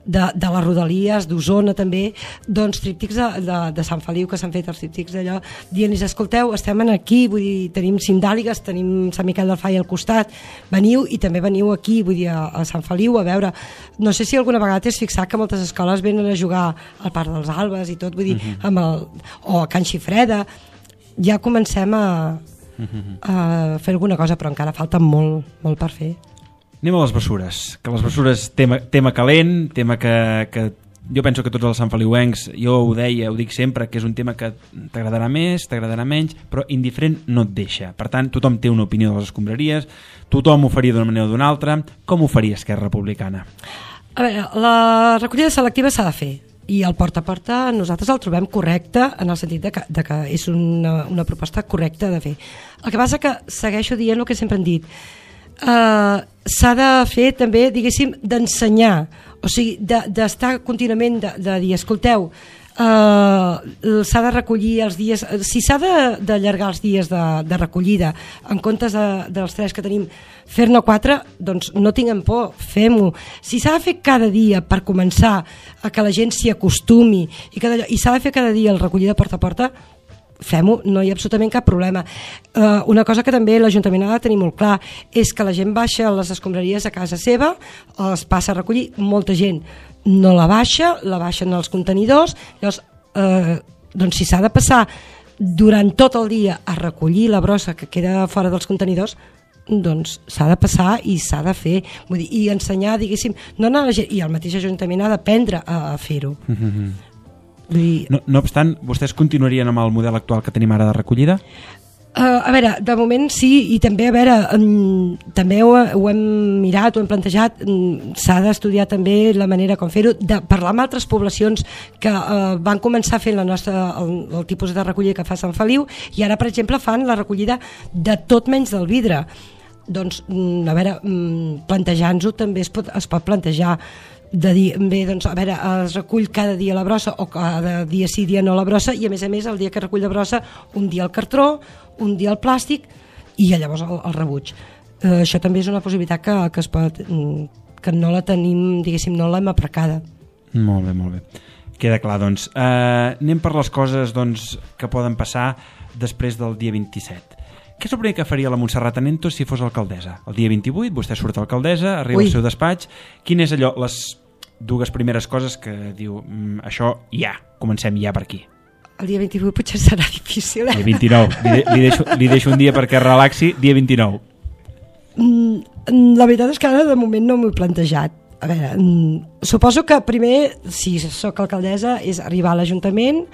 de les Rodalies, d'Osona també, doncs tríptics de Sant Feliu, que s'han fet els tríptics d'allò, dient-los, escolteu, estem aquí, vull dir, tenim cim d'Àligues, tenim Sant Miquel del Fai al costat, veniu i també veniu aquí, vull dir, a Sant Feliu, a veure, no sé si alguna vegada t'has fixat que moltes escoles venen a jugar al Parc dels Albes i tot, vull dir, o a Can Xifreda, ja comencem a fer alguna cosa, però encara falta molt per fer. Anem a les bessures, que les bessures tema calent, tema que jo penso que tots els santfeliuencs, jo ho dic sempre, que és un tema que t'agradarà més, t'agradarà menys, però indiferent no et deixa. Per tant, tothom té una opinió de les escombraries, tothom ho faria d'una manera o d'una altra. Com ho faria Esquerra Republicana? A veure, la recollida selectiva s'ha de fer, i el porta a porta nosaltres el trobem correcte en el sentit de que és una proposta correcta de fer. El que passa que segueixo dient el que sempre hem dit, s'ha de fer també, diguéssim, d'ensenyar, o sigui, d'estar contínuament de dir, escolteu, s'ha de recollir els dies, si s'ha d'allargar els dies de recollida en comptes dels 3 que tenim, fer-ne 4, doncs no tinguem por, fem-ho. Si s'ha de fer cada dia per començar a que la gent s'hi acostumi i s'ha de fer cada dia el recollida porta a porta, fem-ho, no hi ha absolutament cap problema. Una cosa que també l'Ajuntament ha de tenir molt clar és que la gent baixa les escombraries a casa seva, es passa a recollir, molta gent no la baixen als contenidors, llavors, doncs si s'ha de passar durant tot el dia a recollir la brossa que queda fora dels contenidors, doncs s'ha de passar i s'ha de fer, vull dir, i ensenyar, diguéssim, no anar a la gent, i el mateix Ajuntament ha d'aprendre a fer-ho. No obstant, vostès continuarien amb el model actual que tenim ara de recollida? A veure, de moment sí, i també, a veure, també ho hem mirat, ho hem plantejat, s'ha d'estudiar també la manera com fer-ho, de parlar amb altres poblacions que van començar fent el tipus de recollida que fa Sant Feliu, i ara, per exemple, fan la recollida de tot menys del vidre. Doncs, a veure, plantejant-ho també es pot plantejar de dir, bé, doncs, a veure, es recull cada dia la brossa o cada dia sí, dia no la brossa, i a més, el dia que recull la brossa, un dia el cartró, un dia el plàstic i llavors el rebuig. Això també és una possibilitat que es pot, que no la tenim, diguéssim, no l'hem aprecada. Molt bé. Queda clar, doncs. Anem per les coses, doncs, que poden passar després del dia 27. Què és el primer que faria la Montserrat Anentos si fos alcaldessa? El dia 28, vostè surt alcaldessa, arriba al seu despatx. Quin és allò, les 2 primeres coses que diu, això ja, comencem ja per aquí? El dia 28 potser serà difícil. El dia 29. Li deixo un dia perquè relaxi, dia 29. La veritat és que ara de moment no m'ho he plantejat. A veure, suposo que primer, si sóc alcaldessa, és arribar a l'Ajuntament,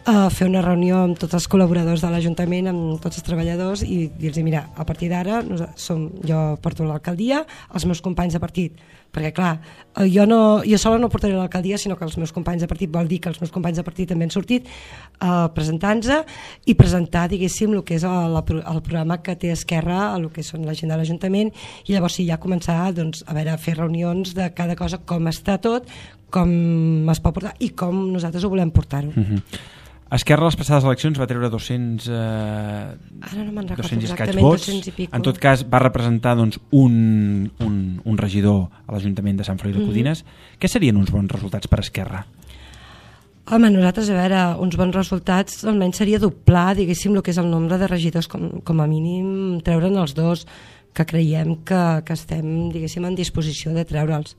fer una reunió amb tots els col·laboradors de l'Ajuntament, amb tots els treballadors, i dir-los, mira, a partir d'ara jo porto l'alcaldia, els meus companys de partit perquè clar, jo sola no portaré a l'alcaldia, sinó que els meus companys de partit, vol dir que els meus companys de partit també han sortit presentant-se i presentar, diguéssim, el que és el programa que té Esquerra, el que són l'agenda de l'Ajuntament, i llavors sí, ja començar doncs, a fer reunions de cada cosa, com està tot, com es pot portar i com nosaltres ho volem portar-ho. Esquerra a les passades eleccions va treure 200 ara no me'n recordo 200 i escaig exactament, vots. 200 i pico. En tot cas va representar doncs, un regidor a l'Ajuntament de Sant Feliu de Codines. Què serien uns bons resultats per Esquerra? Home, nosaltres, a veure, uns bons resultats almenys seria doblar, diguéssim, el que és el nombre de regidors, com a mínim treure'n els 2, que creiem que estem, diguéssim, en disposició de treure'ls.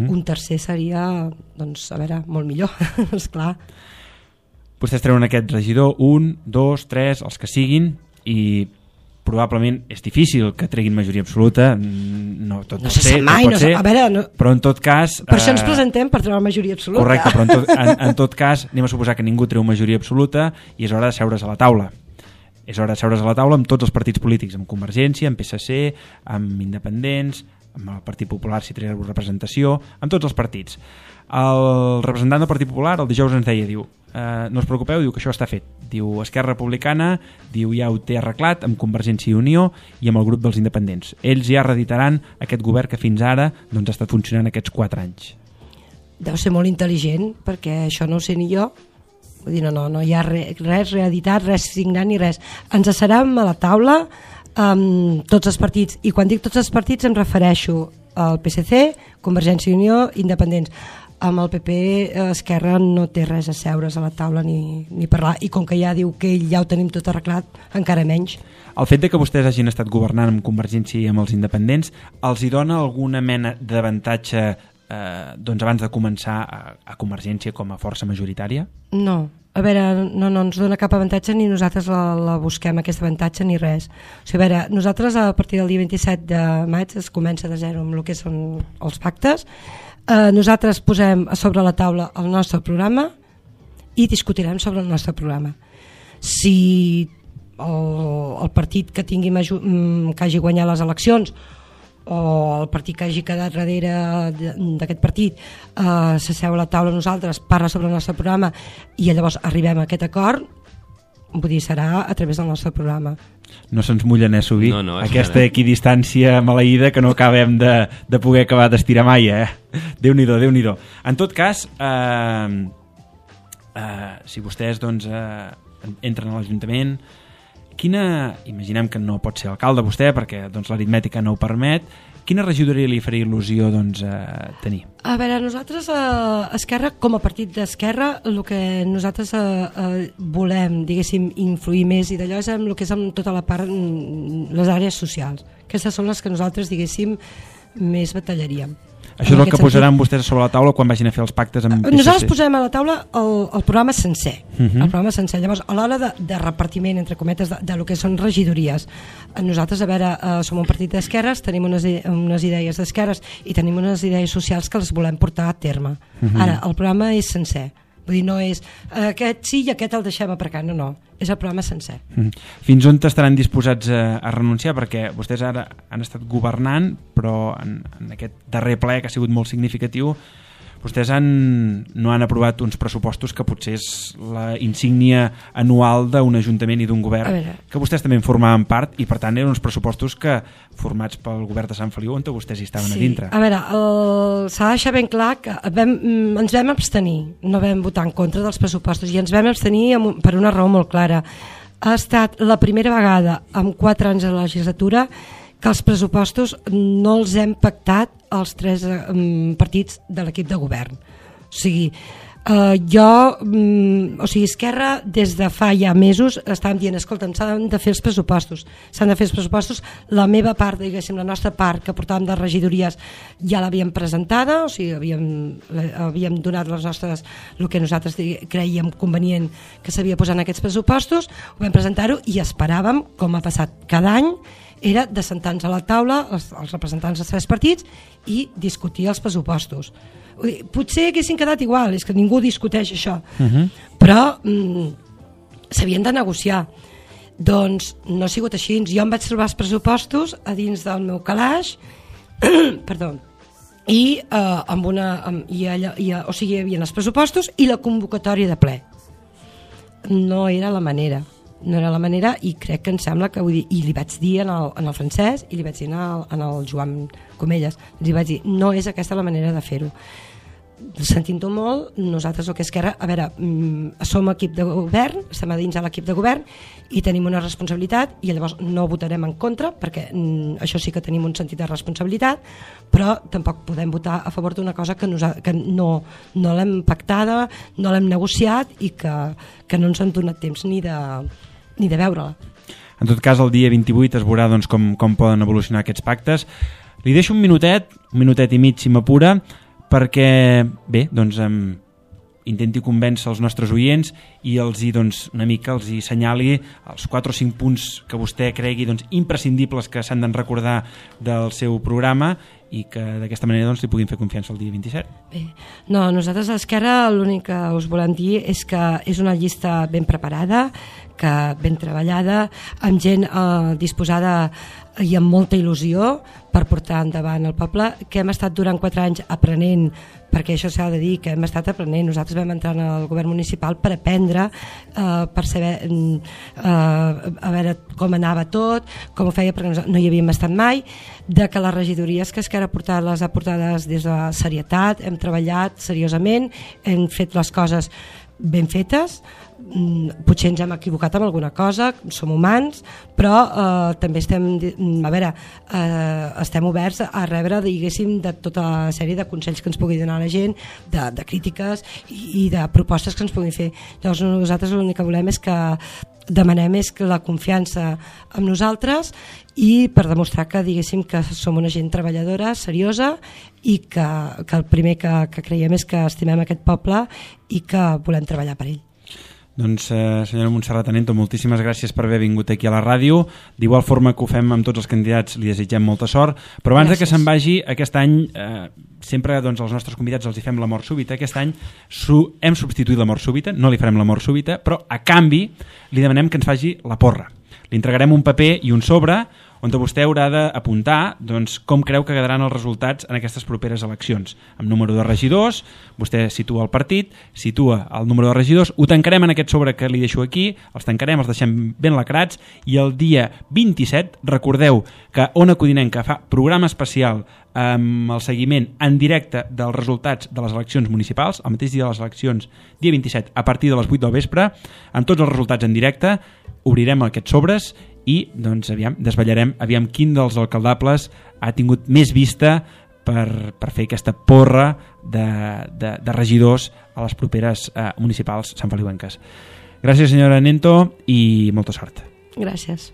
Un tercer seria, doncs, a veure, molt millor, esclar. Vostès treuen aquest regidor, 1, 2, 3, els que siguin, i probablement és difícil que treguin majoria absoluta, no tot pot ser, a veure, no, però en tot cas... Per això ens presentem, per treure majoria absoluta. Correcte, però en tot cas anem a suposar que ningú treu majoria absoluta i és hora de seure's a la taula. És hora de seure's a la taula amb tots els partits polítics, amb Convergència, amb PSC, amb Independents, amb el Partit Popular si treu representació, amb tots els partits. El representant del Partit Popular el dijous ens deia, diu, no us preocupeu, diu que això està fet. Diu, Esquerra Republicana, diu, ja ho té arreglat amb Convergència i Unió i amb el grup dels independents. Ells ja reeditaran aquest govern que fins ara doncs, ha estat funcionant aquests 4 anys. Deu ser molt intel·ligent, perquè això no ho sé ni jo. Vull dir, no hi ha res reeditat, res signat ni res. Ens asserem a la taula amb tots els partits, i quan dic tots els partits em refereixo al PSC, Convergència i Unió, independents. Amb el PP, Esquerra no té res a seure's a la taula ni parlar, i com que ja diu que ell ja ho tenim tot arreglat, encara menys. El fet de que vostès hagin estat governant amb Convergència i amb els independents els hi dona alguna mena d'avantatge doncs abans de començar a Convergència com a força majoritària? No, a veure, no ens dona cap avantatge, ni nosaltres la busquem aquest avantatge ni res. O sigui, a veure, nosaltres a partir del dia 27 de maig es comença de zero amb el que són els pactes. Nosaltres posem a sobre la taula el nostre programa i discutirem sobre el nostre programa. Si el partit que tingui que hagi guanyat les eleccions o el partit que hagi quedat darrere d'aquest partit s'asseu a la taula nosaltres, parla sobre el nostre programa i llavors arribem a aquest acord, vull dir, serà a través del nostre programa. No se'ns mullen a subir aquesta equidistància maleïda que no acabem de poder acabar d'estirar mai, Déu-n'hi-do, Déu-n'hi-do. En tot cas, si vostès doncs, entren a l'Ajuntament, imaginem que no pot ser alcalde vostè perquè doncs, l'aritmètica no ho permet, quina regidoria li faria il·lusió doncs, tenir? A veure, nosaltres a Esquerra, com a partit d'Esquerra, el que nosaltres volem, diguéssim, influir més i d'allò és en el que és en tota la part, les àrees socials. Aquestes són les que nosaltres, diguéssim, més batallaríem. Això és el que posaran vostès sobre la taula quan vagin a fer els pactes amb PSC? Nosaltres posem a la taula el programa sencer. El programa sencer. Llavors, a l'hora de repartiment, entre cometes, de lo que són regidories, nosaltres, a veure, som un partit d'esquerres, tenim unes idees d'esquerres i tenim unes idees socials que les volem portar a terme. Ara, el programa és sencer. Vull dir, no és aquest sí i aquest el deixem aparcar, no. És el programa sencer. Fins on estaran disposats a renunciar? Perquè vostès ara han estat governant, però en aquest darrer ple, que ha sigut molt significatiu, vostès no han aprovat uns pressupostos que potser és la insígnia anual d'un ajuntament i d'un govern, que vostès també en formaven part, i per tant eren uns pressupostos que, formats pel govern de Sant Feliu, on vostès hi estaven a dintre. A veure, s'ha de deixar ben clar que ens vam abstenir, no vam votar en contra dels pressupostos, i ens vam abstenir per una raó molt clara. Ha estat la primera vegada en 4 anys de la legislatura que els pressupostos no els hem pactat els 3 partits de l'equip de govern. O sigui, Esquerra des de fa ja mesos estàvem dient, escolta'm, s'han de fer els pressupostos, la meva part, diguéssim, la nostra part que portàvem de regidories ja l'havíem presentada, o sigui, havíem donat les nostres, el que nosaltres creiem convenient que s'havia posat en aquests pressupostos, ho vam presentar-ho i esperàvem, com ha passat cada any, era de sentar-nos a la taula els representants dels 3 partits i discutir els pressupostos. Potser haguessin quedat igual, és que ningú discuteix això, però s'havien de negociar. Doncs no ha sigut així. Jo em vaig trobar els pressupostos a dins del meu calaix, perdó, i o sigui, hi havia els pressupostos i la convocatòria de ple. No era la manera, i crec que em sembla que, vull dir, i li vaig dir en el Francesc i li vaig dir en el Joan Comelles, li vaig dir, no és aquesta la manera de fer-ho. Sentint-ho molt, nosaltres el que és Esquerra, a veure, som equip de govern, estem a dins de l'equip de govern i tenim una responsabilitat i llavors no votarem en contra perquè això sí que tenim un sentit de responsabilitat, però tampoc podem votar a favor d'una cosa que no l'hem pactada, no l'hem negociat i que no ens han donat temps ni de veure-la. En tot cas, el dia 28 es veurà doncs, com poden evolucionar aquests pactes. Li deixo un minutet i mig si m'apura, perquè, bé, doncs intenti convèncer els nostres oients i una mica els senyali els 4 o 5 punts que vostè cregui imprescindibles que s'han de recordar del seu programa i que d'aquesta manera li puguin fer confiança el dia 27. Bé, no, nosaltres a l'Esquerra l'únic que us volem dir és que és una llista ben preparada, ben treballada, amb gent disposada i amb molta il·lusió per portar endavant el poble, que hem estat durant 4 anys aprenent, perquè això s'ha de dir, que hem estat aprenent. Nosaltres vam entrar al govern municipal per aprendre, per saber a veure com anava tot, com ho feia, perquè no hi havíem estat mai, de que les regidories que Esquerra ha portat les ha portades des de la serietat, hem treballat seriosament, hem fet les coses ben fetes, potser ens hem equivocat amb alguna cosa, som humans, però també estem oberts a rebre, diguéssim, de tota la sèrie de consells que ens pugui donar la gent, de crítiques i de propostes que ens puguin fer. Llavors nosaltres l'únic que volem és que demanem és la confiança en nosaltres i per demostrar que, diguéssim, que som una gent treballadora, seriosa i que el primer que creiem és que estimem aquest poble i que volem treballar per ell. Doncs, senyora Montserrat Anento, moltíssimes gràcies per haver vingut aquí a la ràdio. D'igual forma que ho fem amb tots els candidats, li desitgem molta sort. Però abans que se'n vagi, aquest any, sempre als nostres convidats els hi fem la mort súbita. Aquest any hem substituït la mort súbita, no li farem la mort súbita, però a canvi li demanem que ens faci la porra. Li entregarem un paper i un sobre on vostè haurà d'apuntar com creu que quedaran els resultats en aquestes properes eleccions. Amb número de regidors, vostè situa el partit, situa el número de regidors, ho tancarem en aquest sobre que li deixo aquí, els tancarem, els deixem ben lacrats i el dia 27, recordeu que Ona Codinenca fa programa especial amb el seguiment en directe dels resultats de les eleccions municipals, el mateix dia de les eleccions, dia 27, a partir de les 8 del vespre, amb tots els resultats en directe, obrirem aquests sobres i desvetllarem quin dels alcaldables ha tingut més vista per fer aquesta porra de regidors a les properes municipals santfeliuenques. Gràcies, senyora Anento, i molta sort. Gràcies.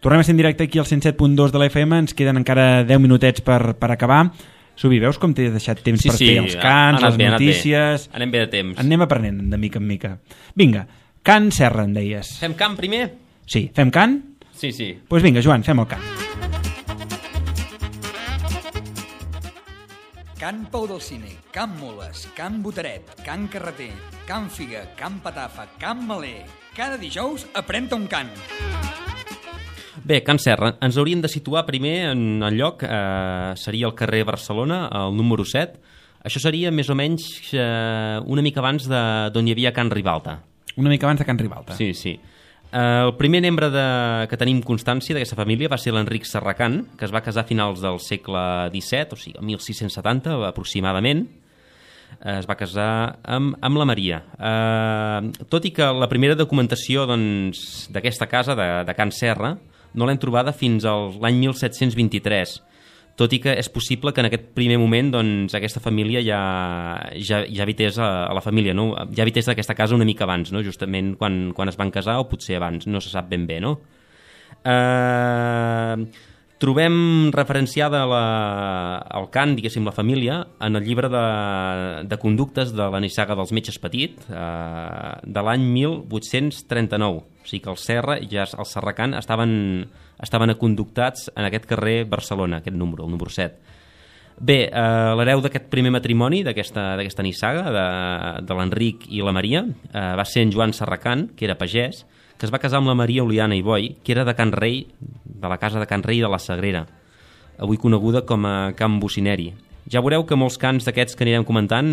Tornem a ser en directe aquí al 107.2 de la FM, ens queden encara 10 minutets per acabar. Subi, veus com t'he deixat temps per fer els cants, les notícies... Anem bé de temps. Anem aprenent de mica en mica. Vinga, cant Serra, em deies. Fem cant primer? Sí, fem cant? Sí. Doncs vinga, Joan, fem el cant. Can Pau del Cine, Can Moles, Can Botaret, Can Carreter, Can Figa, Can Patafa, Can Maler. Cada dijous aprèn-te un cant. Bé, Can Serra, ens hauríem de situar primer en el lloc, seria el carrer Barcelona, el número 7. Això seria més o menys una mica abans d'on hi havia Can Ribalta. Una mica abans de Can Ribalta. Sí. El primer membre que tenim constància d'aquesta família va ser l'Enric Serracant, que es va casar a finals del segle XVII, o sigui, el 1670 aproximadament. Es va casar amb la Maria. Tot i que la primera documentació d'aquesta casa, de Can Serra, no l'hem trobada fins a l'any 1723. tot i que és possible que en aquest primer moment doncs, aquesta família ja habités a la família, no? Ja habités d'aquesta casa una mica abans, no? Justament quan es van casar o potser abans, no se sap ben bé, no? Trobem referenciada el cant, diguéssim, la família, en el llibre de conductes de la nissaga dels metges Petit, de l'any 1839. O sigui que el Serra i el Serracant estaven aconductats en aquest carrer Barcelona, aquest número, el número 7. Bé, l'hereu d'aquest primer matrimoni, d'aquesta nissaga, de l'Enric i la Maria, va ser en Joan Serracant, que era pagès, que es va casar amb la Maria Oliana i Boi, que era de Can Rei, de la casa de Can Rei de la Sagrera, avui coneguda com a Can Bocineri. Ja veureu que molts cants d'aquests que anirem comentant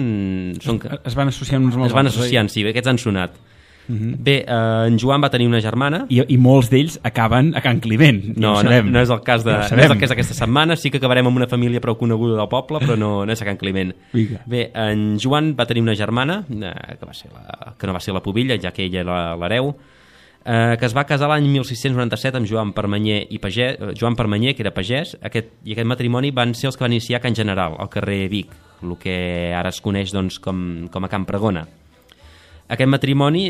es van associant uns amb els altres. Es van associant, sí, aquests han sonat. Bé, en Joan va tenir una germana i molts d'ells acaben a Can Climent. No és el cas no és el que és aquesta setmana. Sí que acabarem amb una família prou coneguda del poble, però no és a Can Climent. Bé, en Joan va tenir una germana que no va ser la pubilla, ja que ella era l'hereu, que es va casar l'any 1697 amb Joan Permanyer, que era pagès, i aquest matrimoni van ser els que van iniciar Can General, al carrer Vic, el que ara es coneix doncs, com a Can Pregona. Aquest matrimoni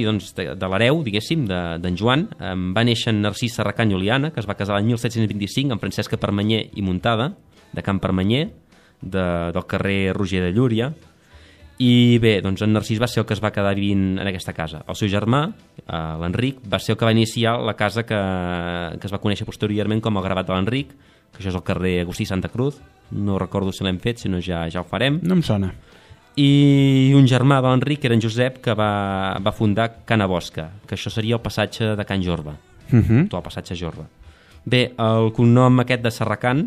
doncs, de l'hereu, diguéssim, d'en Joan, va néixer en Narcís Serracant i Oliana, que es va casar l'any 1725 amb Francesca Permanyer i Muntada, de Can Permanyer, del carrer Roger de Llúria. I bé, doncs en Narcís va ser el que es va quedar vivint en aquesta casa. El seu germà, l'Enric, va ser el que va iniciar la casa que es va conèixer posteriorment com el Gravat de l'Enric, que això és el carrer Agustí Santa Cruz. No recordo si l'hem fet, si no ja ho farem. No em sona. I un germà de l'Enric, que era en Josep, que va fundar Cana Bosca, que això seria el passatge de Can Jorba, tot el passatge Jorba. Bé, el cognom aquest de Serracant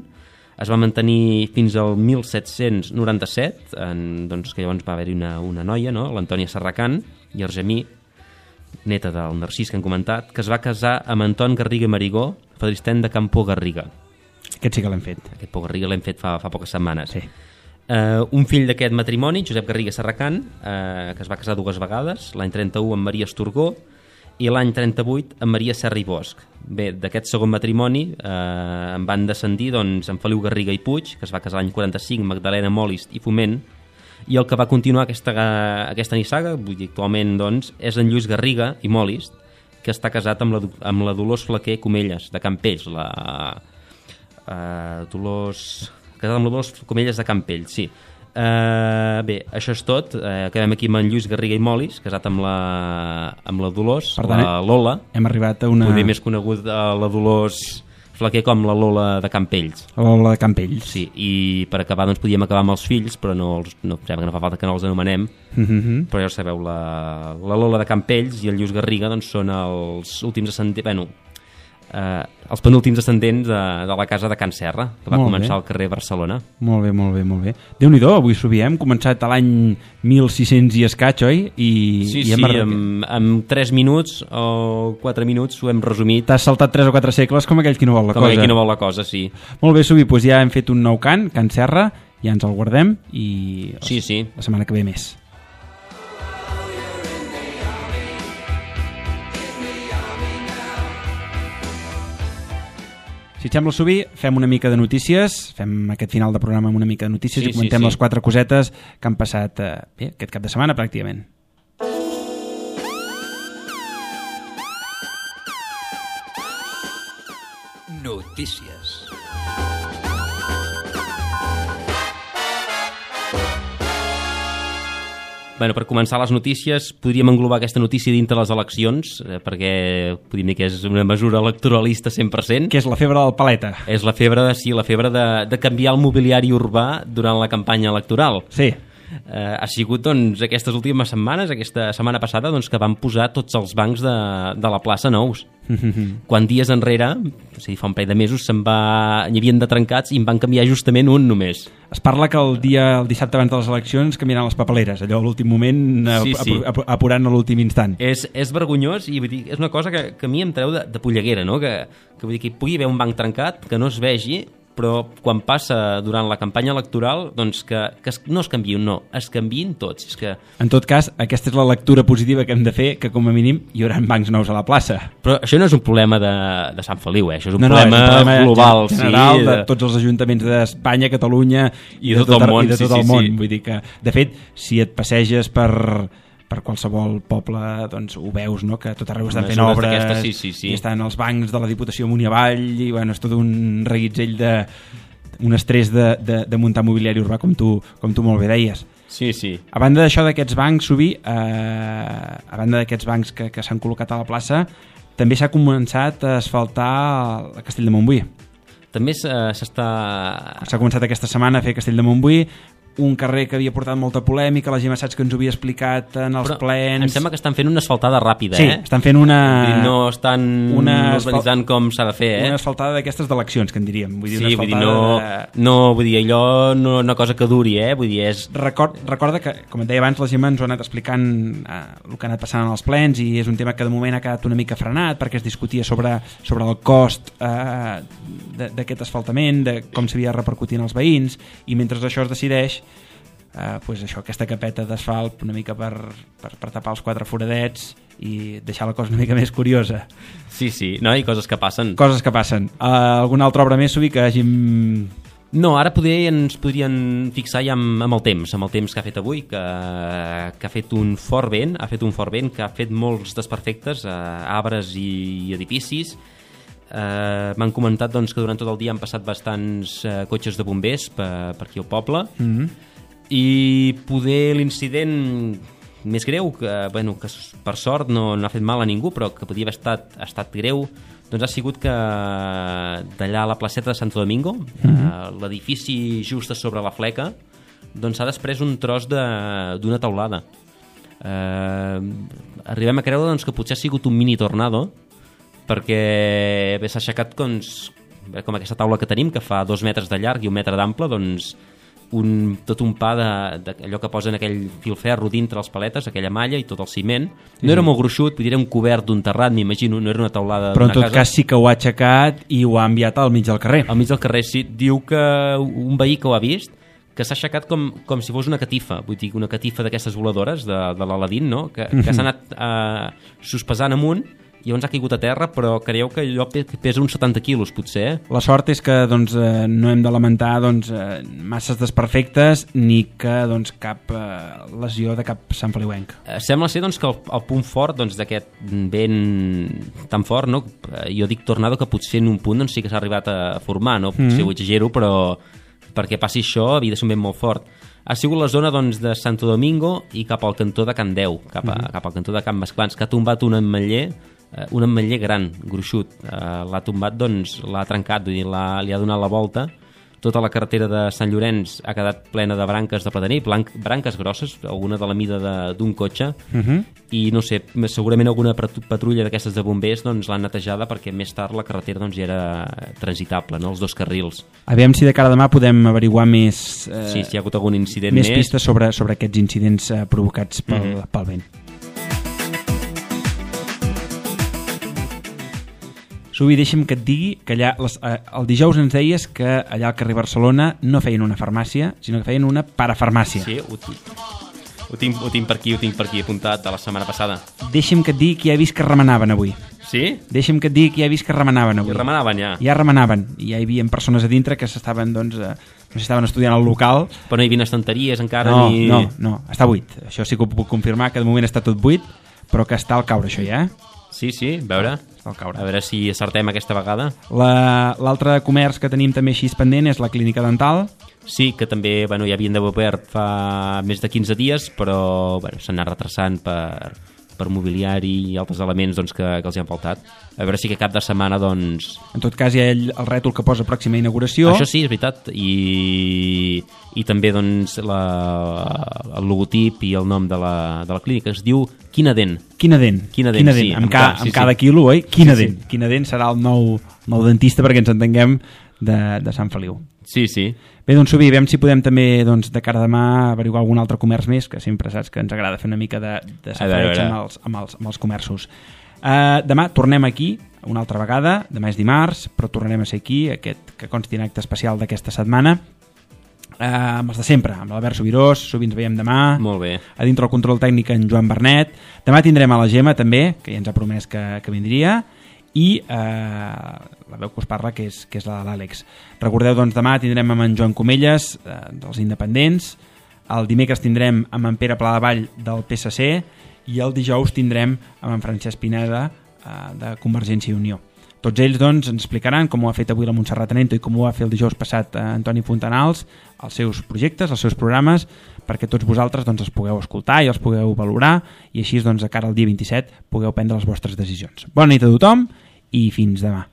es va mantenir fins al 1797, doncs, que llavors va haver-hi una noia, no? L'Antònia Serracant i Argemí, neta del Narcís que hem comentat, que es va casar amb Anton Garriga i Marigó, fadristén de Campo Garriga. Aquest sí que l'hem fet. Aquest Pau Garriga l'hem fet fa poques setmanes. Sí. Un fill d'aquest matrimoni, Josep Garriga Serracant, que es va casar 2 vegades, l'any 31 amb Maria Esturgó i l'any 38 amb Maria Serra i Bosch. Bé, d'aquest segon matrimoni en van descendir doncs, en Feliu Garriga i Puig, que es va casar l'any 45, Magdalena Molist i Foment, i el que va continuar aquesta nissaga, vull dir, actualment doncs, és en Lluís Garriga i Molist, que està casat amb la Dolors Flaquer Comelles, de Campells, casat amb la Dolors Comelles de Campells, sí. Bé, això és tot. Quedem aquí amb en Lluís Garriga i Molis, casat amb la Dolors, la Lola. Hem arribat a una... Poder més conegut la Dolors Flaquer com la Lola de Campells. La Lola de Campells. Sí, i per acabar doncs podíem acabar amb els fills, però no fa falta que no els anomenem. Però ja ho sabeu, la Lola de Campells i el Lluís Garriga doncs, són els últims descendents, els penúltims descendents de la casa de Can Serra, que va començar al carrer Barcelona. Molt bé. Déu-n'hi-do, avui s'ho hem començat a l'any 1600 i escaig, oi? Sí, amb 3 minuts o 4 minuts ho hem resumit. T'has saltat 3 o 4 segles com aquell qui no vol la cosa. Com aquell qui no vol la cosa, sí. Molt bé, Subi, doncs ja hem fet un nou cant, Can Serra, ja ens el guardem i la setmana que ve més. Si et sembla, Subi, fem una mica de notícies, fem aquest final de programa amb una mica de notícies i comentem les 4 cosetes que han passat aquest cap de setmana, pràcticament. Notícies. Bueno, per començar les notícies, podríem englobar aquesta notícia dintre les eleccions, perquè podríem dir que és una mesura electoralista 100%. Que és la febre del paleta. És la febre de canviar el mobiliari urbà durant la campanya electoral. Sí. Ha sigut doncs, aquestes últimes setmanes, aquesta setmana passada, doncs, que van posar tots els bancs de la plaça nous. Quan dies enrere, o sigui, fa un parell de mesos, n'hi havien de trencats i en van canviar justament un només. Es parla que el dissabte abans de les eleccions canviaran les papeleres, allò a l'últim moment, apurant a l'últim instant. És vergonyós i vull dir, és una cosa que a mi em treu de polleguera, no? Que vull dir que hi pugui haver un banc trencat, que no es vegi, però quan passa durant la campanya electoral, doncs que no es canviïn, no, es canviïn tots. És que... En tot cas, aquesta és la lectura positiva que hem de fer, que com a mínim hi haurà bancs nous a la plaça. Però això no és un problema de Sant Feliu, això és un problema global, general, de tots els ajuntaments d'Espanya, Catalunya i de tot el món. Vull dir que, de fet, si et passeges per qualsevol poble, doncs ho veus, no? Que tot arreu estan fent obres i estan els bancs de la Diputació amunt i avall i bueno, és tot un reguitzell un estrès de muntar mobiliari urbà, com tu molt bé deies. Sí. A banda d'això d'aquests bancs, Subi, a banda d'aquests bancs que s'han col·locat a la plaça, també s'ha començat a asfaltar el Castell de Montbui. També s'ha començat aquesta setmana a fer Castell de Montbui, un carrer que havia portat molta polèmica, la Gemma Sats que ens ho havia explicat en els plens. Em sembla que estan fent una asfaltada ràpida, Sí, estan fent una... No estan urbanitzant com s'ha de fer, Una asfaltada d'aquestes d'eleccions, que en diríem. Vull dir, sí, vull dir, vull dir, allò no una cosa que duri, Vull dir, és... Recorda que, com et deia abans, la Gemma ens ho ha anat explicant el que ha anat passant en els plens i és un tema que de moment ha quedat una mica frenat perquè es discutia sobre el cost d'aquest asfaltament, de com s'havia de repercutir en els veïns, i mentre això es decideix, pues això, aquesta capeta d'asfalt una mica per tapar els 4 foradets i deixar la cosa una mica més curiosa. Sí, no? I coses que passen. Alguna altra obra més, Subi, que hàgim... No, ara ens podrien fixar ja amb el temps que ha fet avui, que ha fet un fort vent, que ha fet molts desperfectes a arbres i edificis. M'han comentat doncs, que durant tot el dia han passat bastants cotxes de bombers per aquí al poble, i poder l'incident més greu, que per sort no ha fet mal a ningú, però que podia haver estat greu, doncs ha sigut que d'allà a la placeta de Santo Domingo, l'edifici just sobre la fleca, doncs s'ha desprès un tros d'una teulada. Arribem a creure doncs, que potser ha sigut un mini tornado, perquè s'ha aixecat com aquesta taula que tenim, que fa 2 metres de llarg i 1 metre d'ample, doncs tot un pa d'allò que posen aquell filferro dintre les paletes, aquella malla i tot el ciment. No era molt gruixut, podria un cobert d'un terrat, m'imagino, no era una teulada d'una casa. Però en tot cas sí que ho ha aixecat i ho ha enviat al mig del carrer. Al mig del carrer, sí. Diu que un veí que ho ha vist, que s'ha aixecat com si fos una catifa, vull dir, una catifa d'aquestes voladores de l'Aladín, no? Que s'ha anat sospesant amunt i llavors ha caigut a terra, però creieu que allò pesa uns 70 quilos, potser. La sort és que no hem de lamentar masses desperfectes ni que cap lesió de cap santfeliuenc. Sembla ser que el punt fort d'aquest vent tan fort, no? Jo dic tornado, que potser en un punt sí que s'ha arribat a formar, no? Potser ho exagero, però perquè passi això havia de ser un vent molt fort. Ha sigut la zona de Santo Domingo i cap al cantó de Can Deu, cap al cantó de Can Masclans, que ha tombat un ametller gran, gruixut. L'ha tombat, l'ha trencat, li ha donat la volta. Tota la carretera de Sant Llorenç ha quedat plena de branques de plataner, branques grosses, alguna de la mida d'un cotxe, i no sé, segurament alguna patrulla d'aquestes de bombers l'han netejada perquè més tard la carretera ja era transitable, no? Els 2 carrils. Aviam si de cara a demà podem averiguar més... si hi ha hagut algun incident més pistes sobre aquests incidents provocats pel vent. Subi, deixa'm que et digui que allà el dijous ens deies que allà al carrer Barcelona no feien una farmàcia, sinó que feien una parafarmàcia. Sí, ho tinc per aquí apuntat de la setmana passada. Deixa'm que et digui que ja he vist que remenaven avui. Sí? Deixa'm que et digui que ja he vist que remenaven avui. I remenaven ja? Ja remenaven. I ja hi havia persones a dintre que s'estaven estudiant al local. Però no hi havia estanteries encara? No, està buit. Això sí que ho puc confirmar, que de moment està tot buit, però que està al caure això ja. Sí, a veure. A veure si acertem aquesta vegada. L'altre comerç que tenim també així pendent és la clínica dental. Sí, que també ja havien d'haver obert fa més de 15 dies, però s'han anat retrasant per mobiliari i altres elements que els hi han faltat. A veure si que cap de setmana En tot cas hi ha el rètol que posa pròxima inauguració. Això sí, és veritat. I també el logotip i el nom de la clínica es diu Quinadent. Quinadent, sí. Amb cada quilo, oi? Quinadent. Quinadent serà el nou dentista, perquè ens entenguem, de Sant Feliu. Sí. Bé, doncs Subi, veiem si podem també de cara a demà averiguar algun altre comerç més, que sempre saps que ens agrada fer una mica de safareig amb els comerços. Demà tornem aquí una altra vegada, demà és dimarts, però tornarem a ser aquí, aquest que consti en acte especial d'aquesta setmana, amb els de sempre, amb l'Albert Subirós, sovint ens veiem demà. Molt bé. A dintre el control tècnic en Joan Bernet. Demà tindrem a la Gemma també, que ja ens ha promès que vindria, i la veu que us parla, que és la de l'Àlex. Recordeu, doncs, demà tindrem amb en Joan Comelles, dels Independents, el dimecres tindrem amb en Pere Pladevall del PSC, i el dijous tindrem amb en Francesc Pineda de Convergència i Unió. Tots ells, doncs, ens explicaran com ho ha fet avui la Montserrat Anento i com ho va fer el dijous passat Antoni Fontanals, els seus projectes, els seus programes, perquè tots vosaltres, doncs, els pugueu escoltar i els pugueu valorar, i així, doncs, de cara al dia 27 pugueu prendre les vostres decisions. Bona nit a tothom i fins demà.